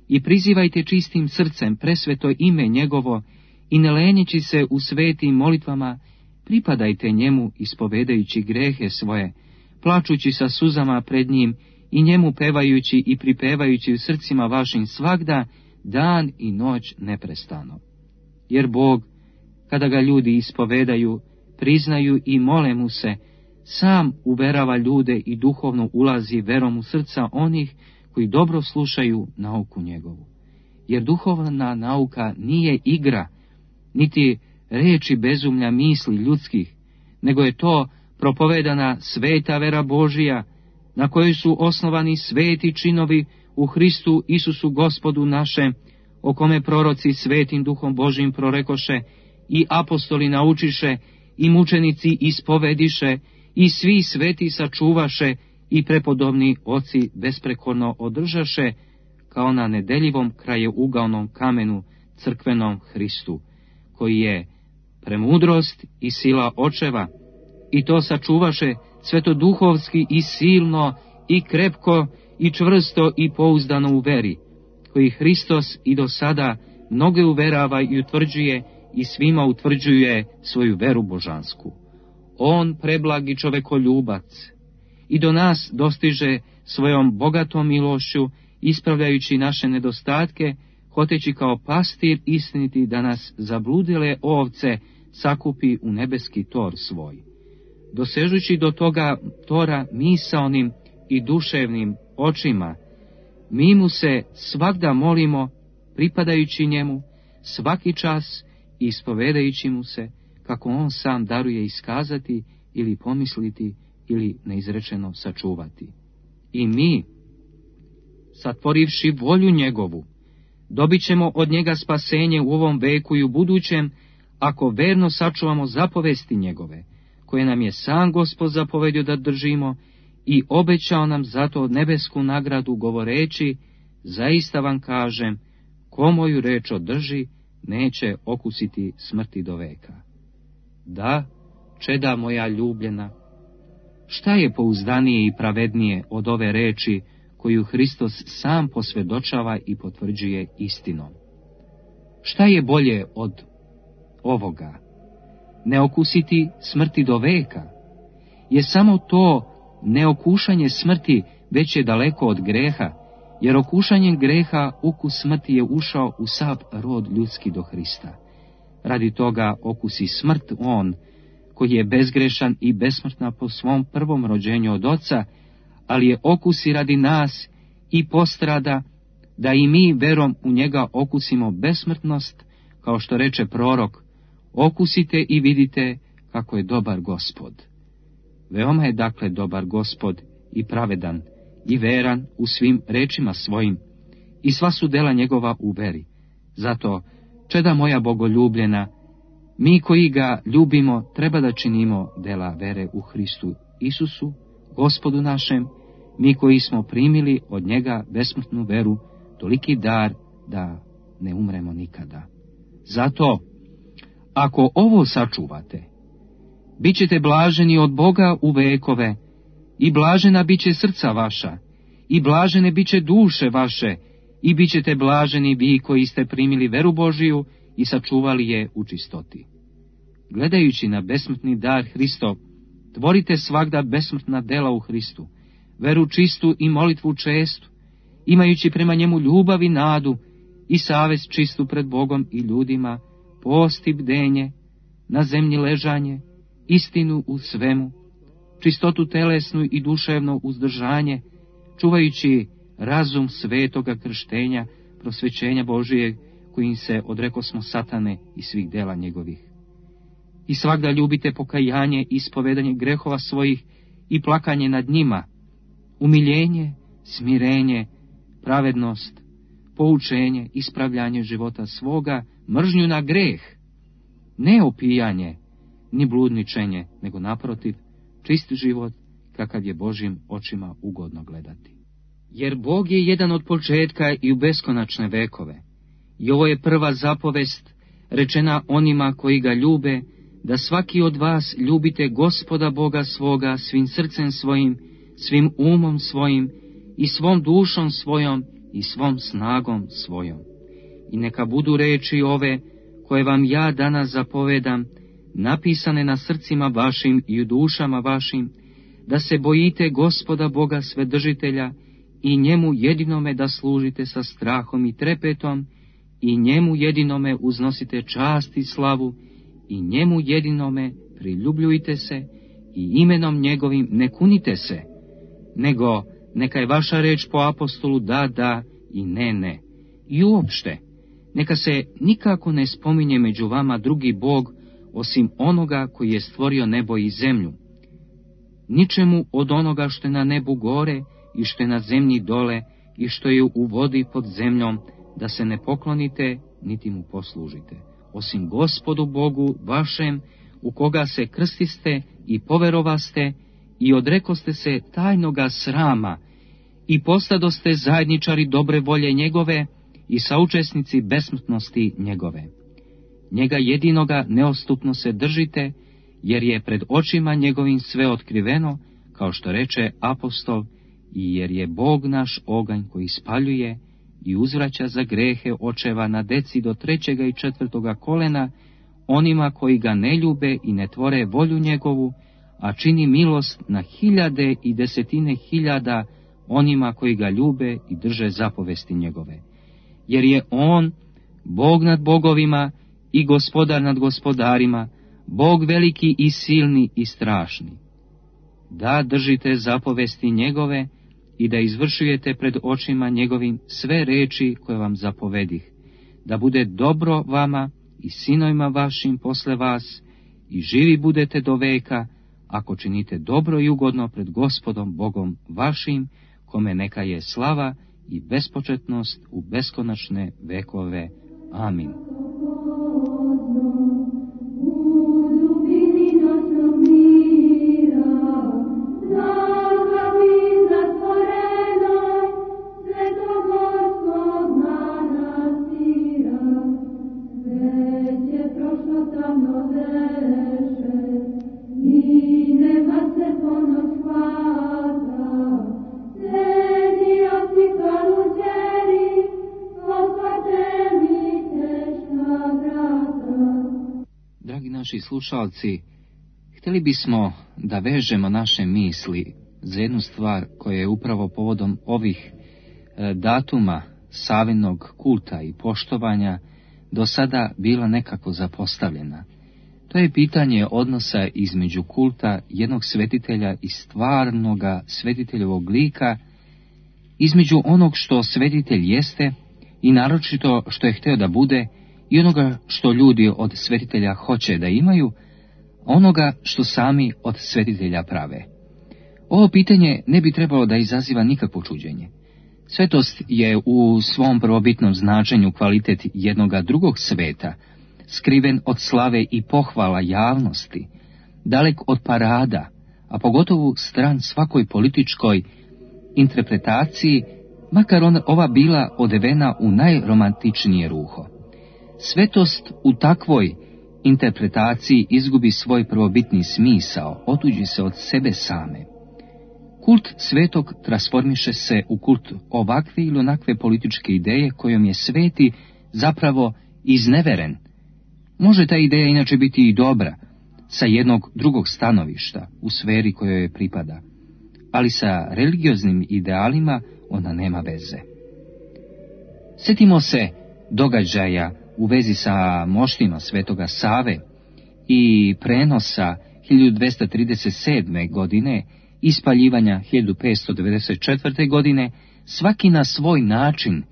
i prizivajte čistim srcem presveto ime njegovo i ne lenjeći se u svetim molitvama, pripadajte njemu ispovedajući grehe svoje, plačući sa suzama pred njim i njemu pevajući i pripevajući u srcima vašim svagda, dan i noć neprestano. Jer Bog, kada ga ljudi ispovedaju, priznaju i mole mu se, sam uverava ljude i duhovno ulazi verom u srca onih koji dobro slušaju nauku njegovu. Jer duhovna nauka nije igra, niti reči bezumlja misli ljudskih, nego je to propovedana sveta vera Božija, na kojoj su osnovani sveti činovi u Hristu Isusu Gospodu našem, o kome proroci svetim duhom Božim prorekoše i apostoli naučiše i mučenici ispovediše i svi sveti sačuvaše i prepodobni oci besprekorno održaše, kao na nedeljivom krajeugavnom kamenu crkvenom Hristu, koji je premudrost i sila očeva, i to sačuvaše svetoduhovski i silno i krepko i čvrsto i pouzdano u veri, koji Hristos i do sada mnoge uverava i utvrđuje i svima utvrđuje svoju veru božansku. On, preblagi čovekoljubac, i do nas dostiže svojom bogatom milošću, ispravljajući naše nedostatke, hoteći kao pastir istiniti da nas zabludile ovce sakupi u nebeski tor svoj. Dosežući do toga tora misaonim i duševnim očima, mi mu se svagda molimo, pripadajući njemu, svaki čas i ispovedajući mu se, kako on sam daruje iskazati ili pomisliti ili neizrečeno sačuvati. I mi, satvorivši volju njegovu, dobit ćemo od njega spasenje u ovom veku i u budućem, ako verno sačuvamo zapovesti njegove, koje nam je sam Gospod zapovedio da držimo i obećao nam zato nebesku nagradu govoreći, zaista vam kažem, ko moju reč održi, neće okusiti smrti do veka. Da, čeda moja ljubljena, šta je pouzdanije i pravednije od ove reči koju Hristos sam posvjedočava i potvrđuje istinom? Šta je bolje od ovoga? Ne okusiti smrti do veka? Je samo to neokušanje smrti već je daleko od greha, jer okušanjem greha ukus smrti je ušao u sav rod ljudski do Hrista. Radi toga okusi smrt on, koji je bezgrešan i besmrtna po svom prvom rođenju od oca, ali je okusi radi nas i postrada, da i mi verom u njega okusimo besmrtnost, kao što reče prorok, okusite i vidite kako je dobar Gospod. Veoma je dakle dobar Gospod i pravedan i veran u svim rečima svojim, i sva su dela njegova u veri. Zato, čeda moja bogoljubljena, mi koji ga ljubimo treba da činimo dela vere u Hristu Isusu, Gospodu našem, mi koji smo primili od njega besmrtnu veru, toliki dar da ne umremo nikada. Zato, ako ovo sačuvate, bit ćete blaženi od Boga u vekove, i blažena bit će srca vaša, i blažene bit će duše vaše, i bit ćete blaženi vi koji ste primili veru Božiju i sačuvali je u čistoti. Gledajući na besmrtni dar Hristov, tvorite svagda besmrtna dela u Hristu, veru čistu i molitvu čestu, imajući prema njemu ljubav i nadu i savest čistu pred Bogom i ljudima, post i bdenje, na zemlji ležanje, istinu u svemu, čistotu telesnu i duševno uzdržanje, čuvajući razum svetoga krštenja, prosvećenja Božije, kojim se odrekosmo satane i svih dela njegovih. I svagda ljubite pokajanje i ispovedanje grehova svojih i plakanje nad njima, umiljenje, smirenje, pravednost, poučenje, ispravljanje života svoga mržnju na greh, ne opijanje, ni bludničenje, nego naprotiv, čist život, kakav je Božjim očima ugodno gledati. Jer Bog je jedan od početka i u beskonačne vekove. I ovo je prva zapovest rečena onima koji ga ljube, da svaki od vas ljubite Gospoda Boga svoga svim srcem svojim, svim umom svojim i svom dušom svojom i svom snagom svojom. I neka budu reči ove, koje vam ja danas zapovedam, napisane na srcima vašim i u dušama vašim, da se bojite Gospoda Boga Svedržitelja i njemu jedinome da služite sa strahom i trepetom, i njemu jedinome uznosite čast i slavu, i njemu jedinome priljubljujte se, i imenom njegovim ne kunite se, nego neka je vaša reč po apostolu da i ne. I uopšte, neka se nikako ne spominje među vama drugi Bog, osim onoga koji je stvorio nebo i zemlju. Ničemu od onoga što je na nebu gore i što je na zemlji dole i što je u vodi pod zemljom, da se ne poklonite niti mu poslužite, osim Gospodu Bogu vašem, u koga se krstiste i poverovaste i odrekoste se tajnoga srama i postadoste zajedničari dobre volje njegove i saučesnici besmrtnosti njegove. Njega jedinoga neostupno se držite, jer je pred očima njegovim sve otkriveno, kao što reče apostol, i jer je Bog naš oganj koji spaljuje i uzvraća za grehe očeva na deci do 3. i 4. kolena, onima koji ga ne ljube i ne tvore volju njegovu, a čini milost na 1000 i 10.000 onima koji ga ljube i drže zapovesti njegove. Jer je on Bog nad bogovima i Gospodar nad gospodarima, Bog veliki i silni i strašni. Da držite zapovesti njegove i da izvršujete pred očima njegovim sve reči koje vam zapovedih, da bude dobro vama i sinovima vašim posle vas i živi budete do veka, ako činite dobro i ugodno pred Gospodom Bogom vašim, kome neka je slava i bespočetnost u beskonačne vekove. Amin. Naši slušalci, htjeli bismo da vežemo naše misli za jednu stvar koja je upravo povodom ovih datuma Savinog kulta i poštovanja do sada bila nekako zapostavljena. To je pitanje odnosa između kulta jednog svetitelja i stvarnoga svetiteljevog lika, između onog što svetitelj jeste i naročito što je htio da bude, i onoga što ljudi od svetitelja hoće da imaju, onoga što sami od svetitelja prave. Ovo pitanje ne bi trebalo da izaziva nikakvo čuđenje. Svetost je u svom prvobitnom značenju kvalitet jednoga drugog sveta, skriven od slave i pohvala javnosti, dalek od parada, a pogotovo stran svakoj političkoj interpretaciji, makar ova bila odevena u najromantičnije ruho. Svetost u takvoj interpretaciji izgubi svoj prvobitni smisao, otuđi se od sebe same. Kult svetog transformiše se u kult ovakve ili onakve političke ideje kojom je sveti zapravo izneveren. Može ta ideja inače biti i dobra, sa jednog drugog stanovišta, u sferi kojoj je pripada, ali sa religioznim idealima ona nema veze. Sjetimo se događaja u vezi sa moštima svetoga Save i prenosa 1237. godine i spaljivanja 1594. godine, svaki na svoj način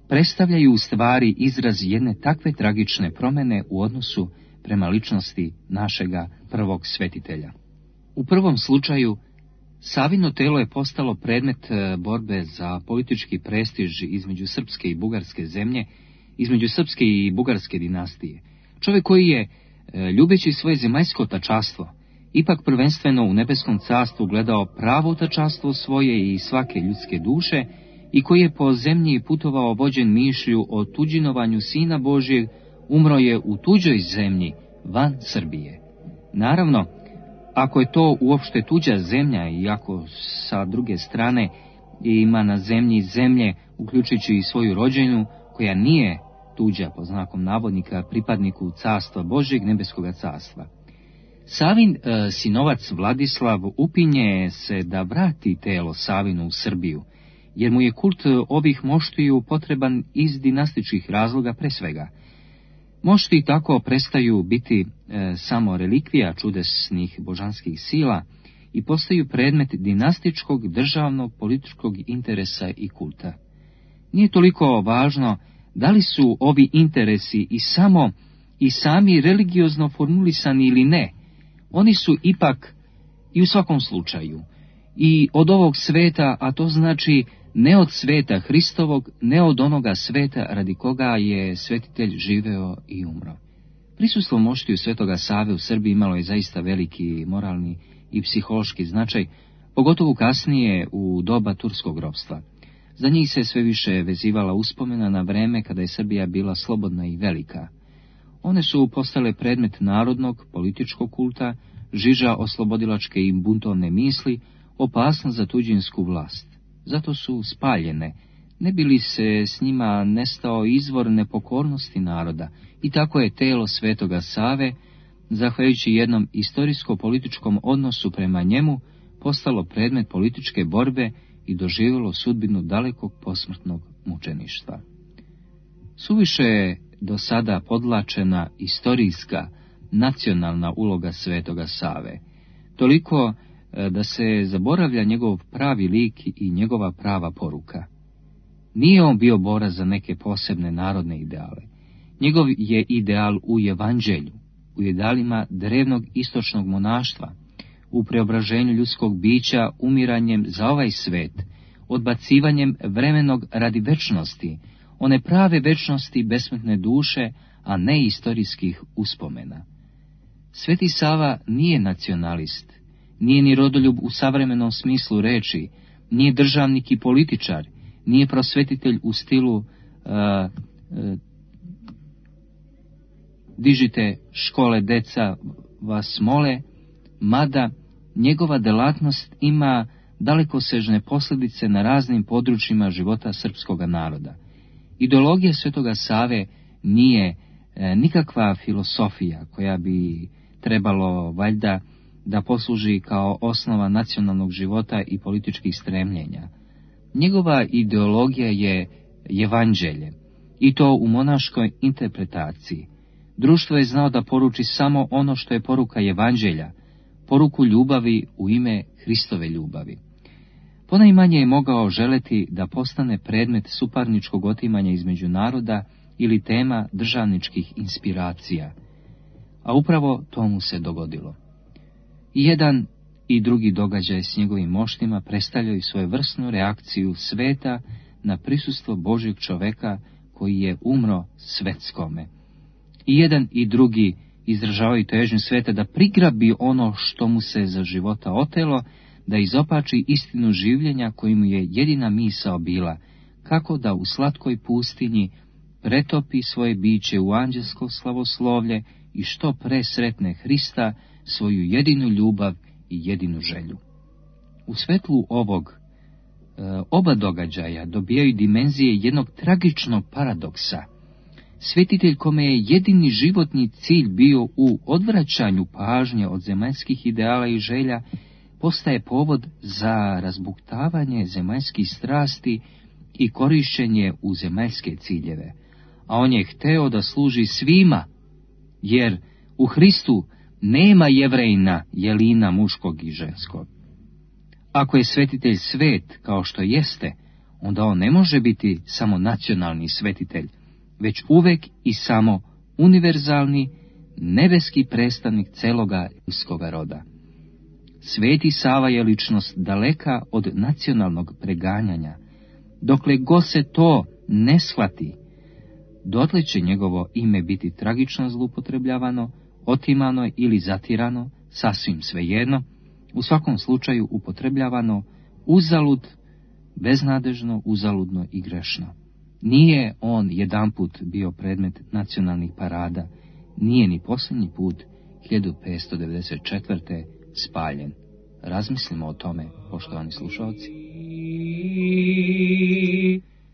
predstavljaju u stvari izraz jedne takve tragične promjene u odnosu prema ličnosti našega prvog svetitelja. U prvom slučaju, Savino telo je postalo predmet borbe za politički prestiž između srpske i bugarske zemlje između srpske i bugarske dinastije. Čovjek koji je, ljubeći svoje zemaljsko tačastvo, ipak prvenstveno u nebeskom carstvu gledao pravo tačastvo svoje i svake ljudske duše, i koji je po zemlji putovao vođen mišlju o tuđinovanju Sina Božjeg, umro je u tuđoj zemlji, van Srbije. Naravno, ako je to uopšte tuđa zemlja, i ako sa druge strane ima na zemlji zemlje, uključujući i svoju rođenu, koja nije tuđa, po znakom navodnika, pripadniku carstva Božjeg, nebeskoga carstva. Savin sinovac Vladislav upinje se da vrati telo Savinu u Srbiju, jer mu je kult ovih moštiju potreban iz dinastičkih razloga pre svega. Mošti tako prestaju biti samo relikvija čudesnih božanskih sila i postaju predmet dinastičkog, državnog, političkog interesa i kulta. Nije toliko važno da li su ovi interesi i sami religiozno formulisani ili ne. Oni su ipak i u svakom slučaju i od ovog sveta, a to znači ne od sveta Hristovog, ne od onoga sveta radi koga je svetitelj živeo i umro. Prisustvo moštiju Svetoga Save u Srbiji imalo je zaista veliki moralni i psihološki značaj, pogotovo kasnije u doba turskog ropstva. Za njih se sve više vezivala uspomena na vreme kada je Srbija bila slobodna i velika. One su postale predmet narodnog, političkog kulta, žiža oslobodilačke i buntovne misli, opasnost za tuđinsku vlast. Zato su spaljene, ne bi li se s njima nestao izvor nepokornosti naroda, i tako je telo Svetoga Save, zahvaljujući jednom istorijsko-političkom odnosu prema njemu, postalo predmet političke borbe i doživjelo sudbinu dalekog posmrtnog mučeništva. Suviše je do sada podlačena istorijska, nacionalna uloga Svetoga Save, toliko da se zaboravlja njegov pravi lik i njegova prava poruka. Nije on bio borac za neke posebne narodne ideale. Njegov je ideal u evanđelju, u idealima drevnog istočnog monaštva, u preobraženju ljudskog bića umiranjem za ovaj svet, odbacivanjem vremenog radi večnosti, one prave večnosti besmrtne duše, a ne istorijskih uspomena. Sveti Sava nije nacionalist, nije ni rodoljub u savremenom smislu reči, nije državnik i političar, nije prosvetitelj u stilu dižite škole, deca vas mole, mada njegova delatnost ima dalekosežne posljedice na raznim područjima života srpskoga naroda. Ideologija Svetoga Save nije nikakva filosofija koja bi trebalo valjda da posluži kao osnova nacionalnog života i političkih stremljenja. Njegova ideologija je evanđelje, i to u monaškoj interpretaciji. Društvo je znao da poruči samo ono što je poruka evanđelja, poruku ljubavi u ime Hristove ljubavi. Ponajmanje je mogao želeti da postane predmet suparničkog otimanja između naroda ili tema državničkih inspiracija, a upravo to mu se dogodilo. I jedan i drugi događaj s njegovim moštima predstavljaju svojevrsnu reakciju sveta na prisustvo Božjeg čoveka koji je umro svetskome. I jedan i drugi izražavaju težnju sveta da prigrabi ono što mu se za života otelo, da izopači istinu življenja koji mu je jedina misao bila, kako da u slatkoj pustinji pretopi svoje biće u anđelsko slavoslovlje i što pre sretne Hrista, svoju jedinu ljubav i jedinu želju. U svetlu ovog oba događaja dobijaju dimenzije jednog tragičnog paradoksa. Svetitelj kome je jedini životni cilj bio u odvraćanju pažnje od zemaljskih ideala i želja, postaje povod za razbuktavanje zemaljskih strasti i korišćenje u zemaljske ciljeve. A on je hteo da služi svima, jer u Hristu nema Jevrejina, jelina muškog i ženskog. Ako je svetitelj svet kao što jeste, onda on ne može biti samo nacionalni svetitelj, već uvek i samo univerzalni, nebeski predstavnik celoga ljudskoga roda. Sveti Sava je ličnost daleka od nacionalnog preganjanja. Dokle god se to ne shvati, dotle će njegovo ime biti tragično zloupotrebljavano, otimano ili zatirano, sasvim svejedno, u svakom slučaju upotrebljavano uzalud, beznadežno, uzaludno i grešno. Nije on jedanput bio predmet nacionalnih parada, nije ni posljednji put 1594. spaljen. Razmislimo o tome, poštovani slušalci.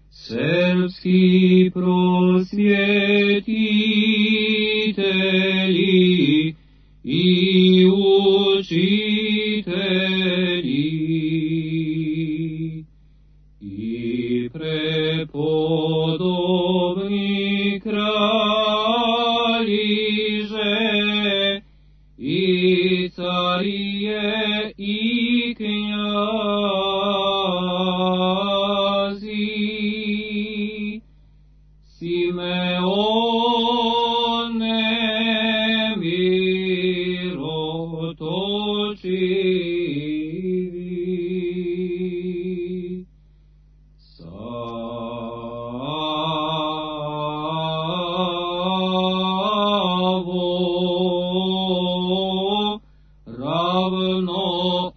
Srpski prosvjetitelji i učitelji i prepodobni kraljiže i carije i knjazi, Simeone mirotočivi, Savo ravno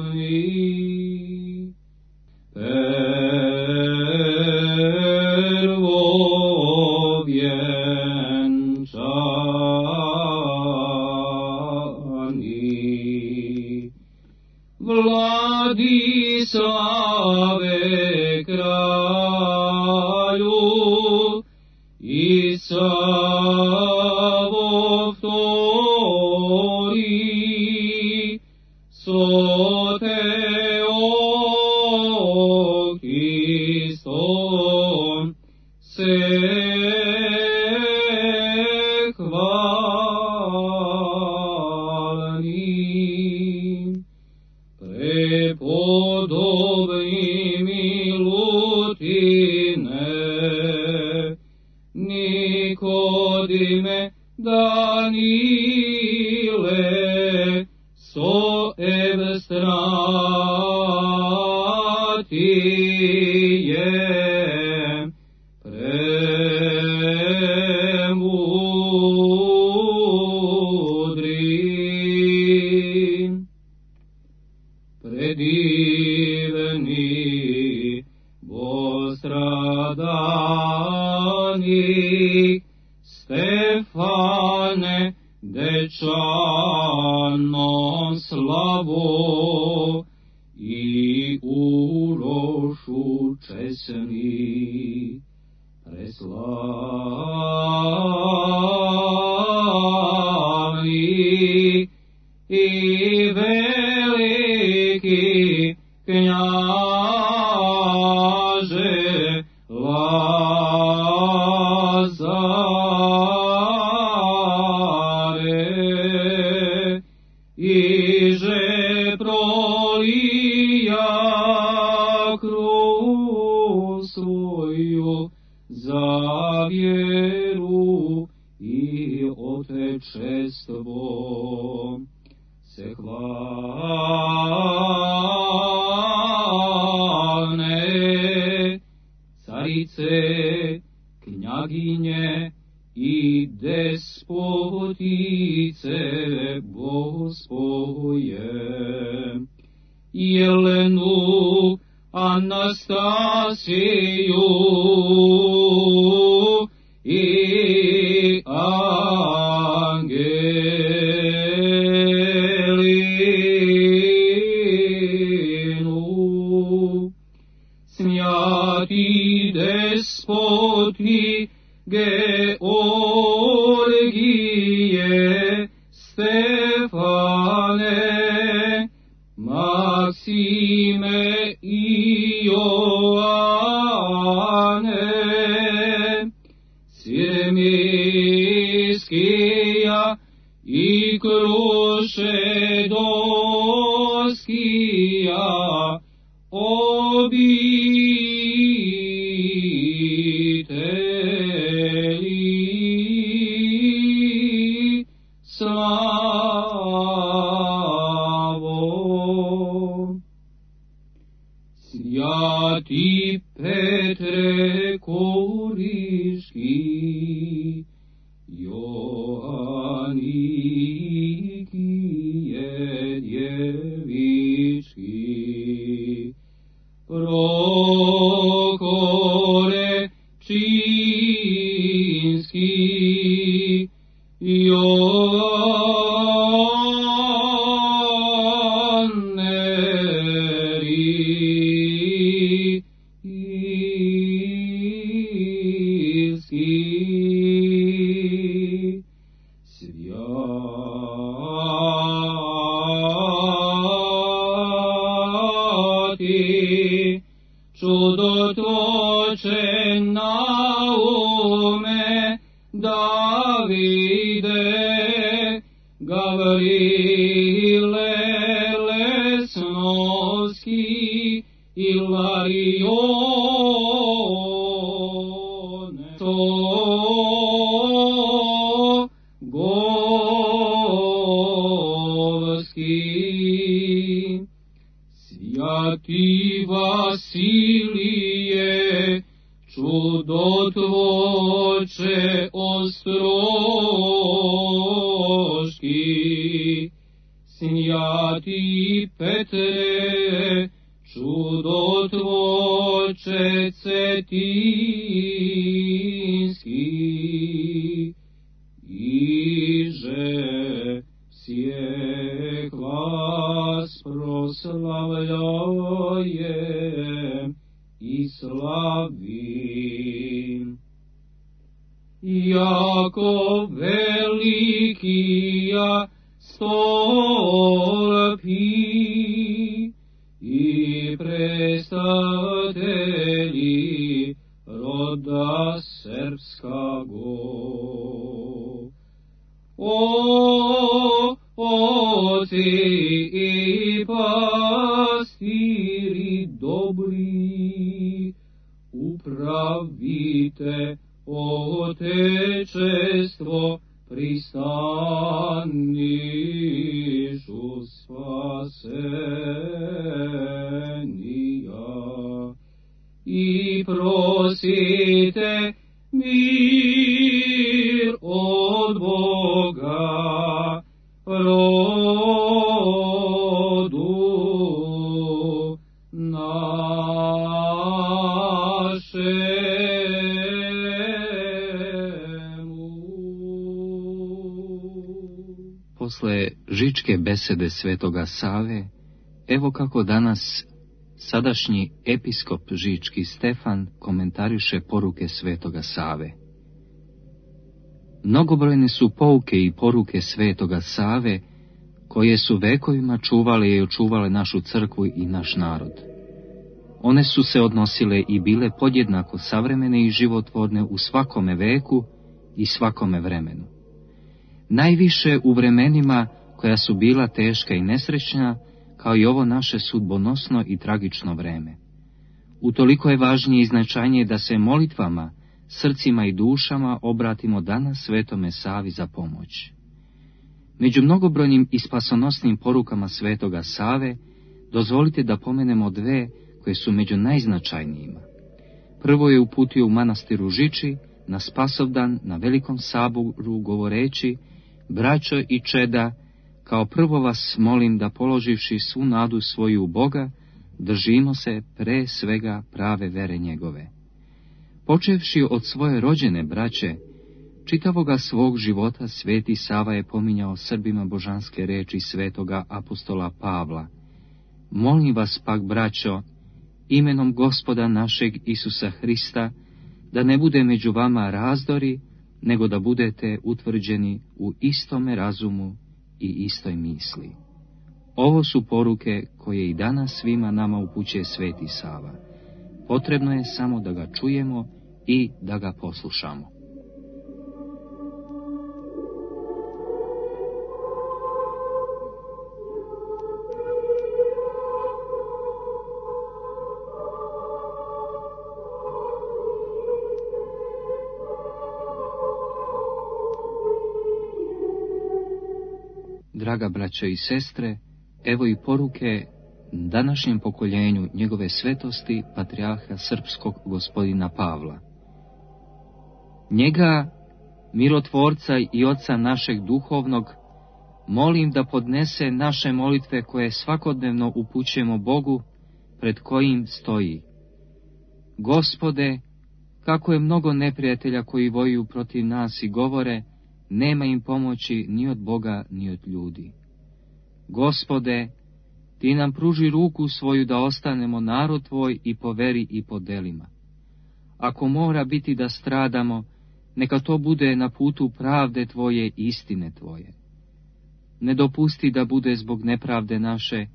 apostolni, prvovjenčani, Vladislave kralju i Savo vtori, Soteokistom se hvalni, prepodobni milutine, Nikodime, Danile, so evstratije, premudri, predivni, bostradani, Stefane, dečanom slavo i urošu česni, preslavni i veliki knjaže Lazare, iže prolija krv svoju za vjeru i otečestvo, se hvalne carice, knjaginje i despotice Bogospoje, Jelenu, Anastasiju i Angelinu, smjati despoti Georgije, Stefane, Maksime i Joane, Sirmiskija i Krušedoskija, obitelji slavo. Joannikije djevički, prokore činski, Joanneri ilski, svjati čudotvoče Naume Davide, Gavrile Lesnovski, Ilarione, to Govski, Svjati Vasilije, čudotvoče Ostroški, Svjati Petre, čudotvoče Cetinski, iže всех вас proslavljajem i slavim. Jako velikija stolpi i prestatelji roda srpskago. O oci i pastiri dobri, upravite Otečestvo, pristanišu spasenija i prosite mir od Boga rodu našemu. Posle žičke besede svetoga Save, evo kako danas sadašnji episkop žički Stefan komentariše poruke svetoga Save. Mnogobrojne su pouke i poruke svetoga Save, koje su vekovima čuvale i očuvale našu crkvu i naš narod. One su se odnosile i bile podjednako savremene i životvorne u svakome veku i svakome vremenu. Najviše u vremenima koja su bila teška i nesrećna, kao i ovo naše sudbonosno i tragično vreme. Utoliko je važnije i značajnije da se molitvama, srcima i dušama obratimo danas svetome Savi za pomoć. Među mnogobrojnim i spasonosnim porukama svetoga Save, dozvolite da pomenemo dve koje su među najznačajnijima. Prvo je uputio u manastiru Žiči, na Spasovdan, na Velikom saboru, govoreći: braćo i čeda, kao prvo vas molim da položivši svu nadu svoju u Boga, držimo se pre svega prave vere njegove. Počevši od svoje rođene braće, čitavoga svog života sveti Sava je pominjao Srbima božanske reči svetoga apostola Pavla: molim vas pak, braćo, imenom Gospoda našeg Isusa Hrista, da ne bude među vama razdori, nego da budete utvrđeni u istome razumu i istoj misli. Ovo su poruke koje i danas svima nama upućuje sveti Sava. Potrebno je samo da ga čujemo i da ga poslušamo. Draga braćo i sestre, evo i poruke današnjem pokoljenju njegove svetosti patrijarha srpskog gospodina Pavla. Njega, milotvorca i oca našeg duhovnog, molim da podnese naše molitve koje svakodnevno upućujemo Bogu, pred kojim stoji: Gospode, kako je mnogo neprijatelja koji vojuju protiv nas i govore, nema im pomoći ni od Boga ni od ljudi. Gospode, ti nam pruži ruku svoju da ostanemo narod tvoj i po veri i po delima. Ako mora biti da stradamo, neka to bude na putu pravde tvoje i istine tvoje. Ne dopusti da bude zbog nepravde naše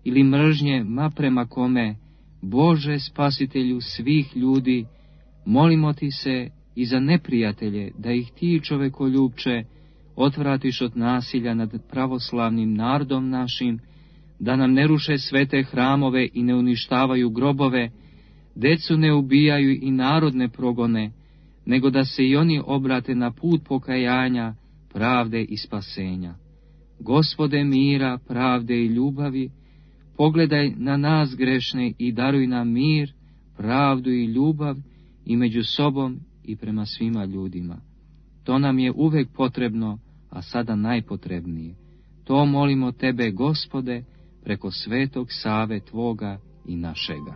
ili mržnje ma prema kome, Bože spasitelju svih ljudi, molimo ti se i za neprijatelje, da ih ti, čovekoljubče, otvratiš od nasilja nad pravoslavnim narodom našim, da nam ne ruše svete hramove i ne uništavaju grobove, decu ne ubijaju i narod ne progone, nego da se i oni obrate na put pokajanja, pravde i spasenja. Gospode mira, pravde i ljubavi, pogledaj na nas grešne i daruj nam mir, pravdu i ljubav i među sobom i prema svima ljudima. To nam je uvek potrebno, a sada najpotrebnije. To molimo tebe, Gospode, preko svetog Save tvoga i našega.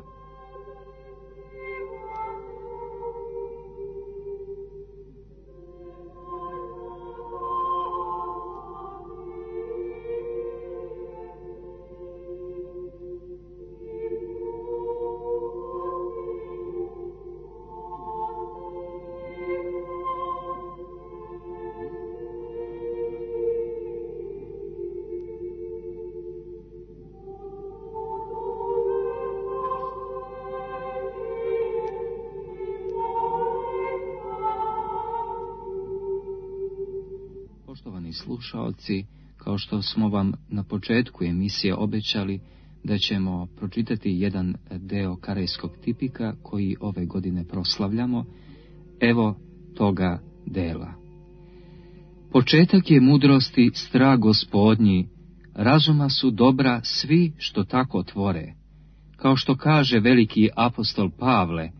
Poštovani slušaoci, kao što smo vam na početku emisije obećali da ćemo pročitati jedan deo karejskog tipika koji ove godine proslavljamo, evo toga dela. Početak je mudrosti strah Gospodnji, razuma su dobra svi što tako tvore. Kao što kaže veliki apostol Pavle,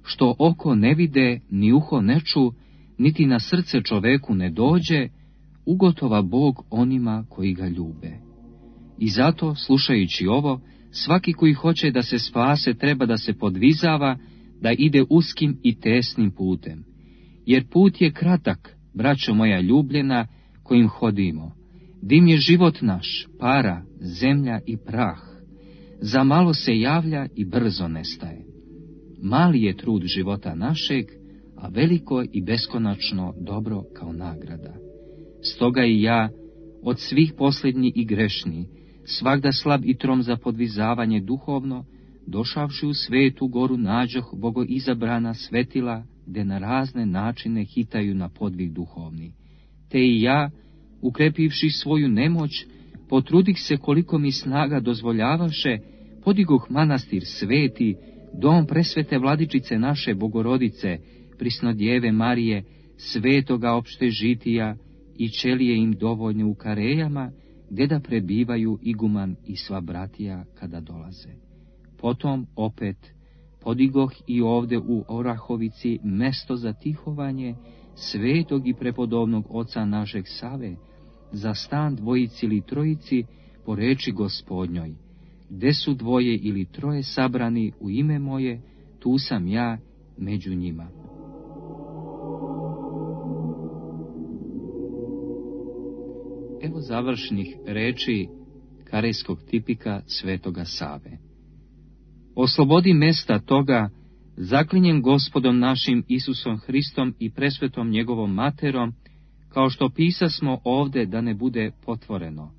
što oko ne vide, ni uho ne ču, niti na srce čoveku ne dođe, ugotova Bog onima koji ga ljube. I zato, slušajući ovo, svaki koji hoće da se spase treba da se podvizava, da ide uskim i tesnim putem. Jer put je kratak, braćo moja ljubljena, kojim hodimo. Dim je život naš, para, zemlja i prah. Za malo se javlja i brzo nestaje. Mali je trud života našeg, a veliko i beskonačno dobro kao nagrada. Stoga i ja, od svih posljednji i grešni, svagda slab i trom za podvizavanje duhovno, došavši u svetu goru nađoh bogoizabrana svetila, gde na razne načine hitaju na podvig duhovni. Te i ja, ukrepivši svoju nemoć, potrudih se koliko mi snaga dozvoljavaše, podigoh manastir sveti, dom presvete vladičice naše Bogorodice, Prisnodjeve Marije, svetoga opšte žitija, i ćelije im dovoljne u Karejama, gdje da prebivaju iguman i sva bratija kada dolaze. Potom opet podigoh i ovde u Orahovici mesto za tihovanje svetog i prepodobnog oca našeg Save, za stan dvojici ili trojici po reči Gospodnjoj. Gde su dvoje ili troje sabrani u ime moje, tu sam ja među njima. Evo završnih reči karejskog tipika svetoga Save. Oslobodi mesta toga, zaklinjem Gospodom našim Isusom Hristom i presvetom njegovom materom, kao što pisasmo ovde da ne bude potvoreno.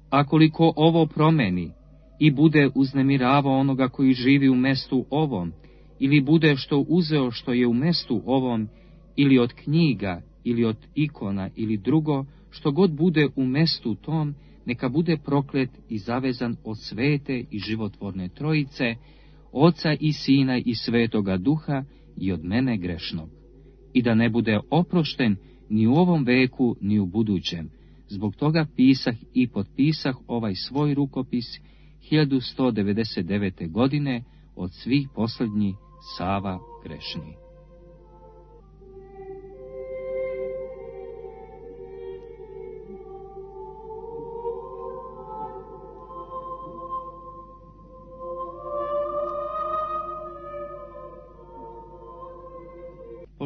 A koliko ovo promeni i bude uznemiravao onoga koji živi u mestu ovom, ili bude što uzeo što je u mestu ovom, ili od knjiga, ili od ikona, ili drugo, što god bude u mestu tom, neka bude proklet i zavezan od svete i životvorne trojice, Oca i Sina i Svetoga Duha i od mene grešnog. I da ne bude oprošten ni u ovom veku, ni u budućem. Zbog toga pisah i potpisah ovaj svoj rukopis 1199. godine od svih posljednji Sava grešni.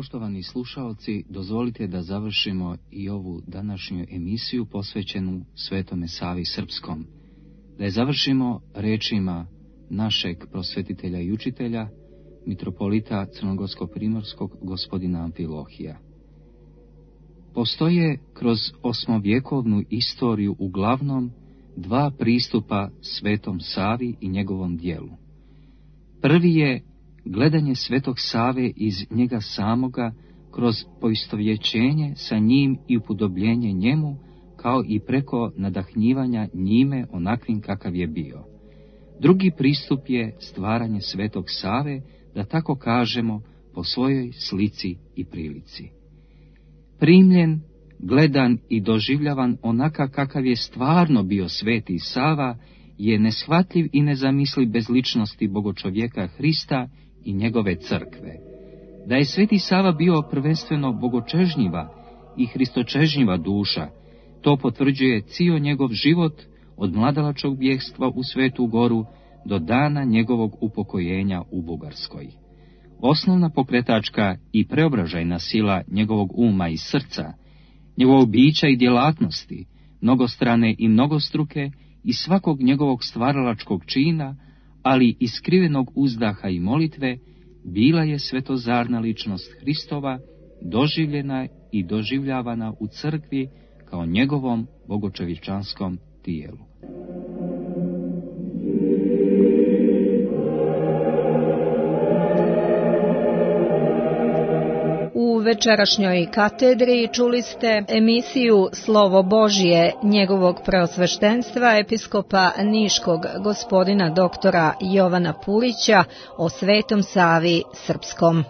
Poštovani slušaoci, dozvolite da završimo i ovu današnju emisiju posvećenu Svetome Savi Srpskom. Da je završimo rečima našeg prosvetitelja i učitelja, mitropolita Crnogorsko-primorskog gospodina Amfilohija. Postoje kroz osmovjekovnu istoriju uglavnom dva pristupa Svetom Savi i njegovom djelu. Prvi je gledanje Svetog Save iz njega samoga kroz poistovjećenje sa njim i upodobljenje njemu, kao i preko nadahnjivanja njime onakvim kakav je bio. Drugi pristup je stvaranje Svetog Save, da tako kažemo, po svojoj slici i prilici. Primljen, gledan i doživljavan onaka kakav je stvarno bio Sveti Sava, je neshvatljiv i nezamisliv bez ličnosti bogočovjeka Hrista i njegove crkve. Da je Sveti Sava bio prvenstveno bogočežnjiva i hristočežnjiva duša, to potvrđuje cijel njegov život od mladalačkog bjegstva u Svetu Goru do dana njegovog upokojenja u Bugarskoj. Osnovna pokretačka i preobražajna sila njegovog uma i srca, njegovog bića i djelatnosti, mnogostrane i mnogostruke, i svakog njegovog stvaralačkog čina, ali i skrivenog uzdaha i molitve, bila je svetozarna ličnost Hristova, doživljena i doživljavana u crkvi kao njegovom bogočovječanskom tijelu. U večerašnjoj katedri čuli ste emisiju Slovo Božje njegovog preosveštenstva episkopa Niškog gospodina doktora Jovana Pulića o Svetom Savi Srpskom.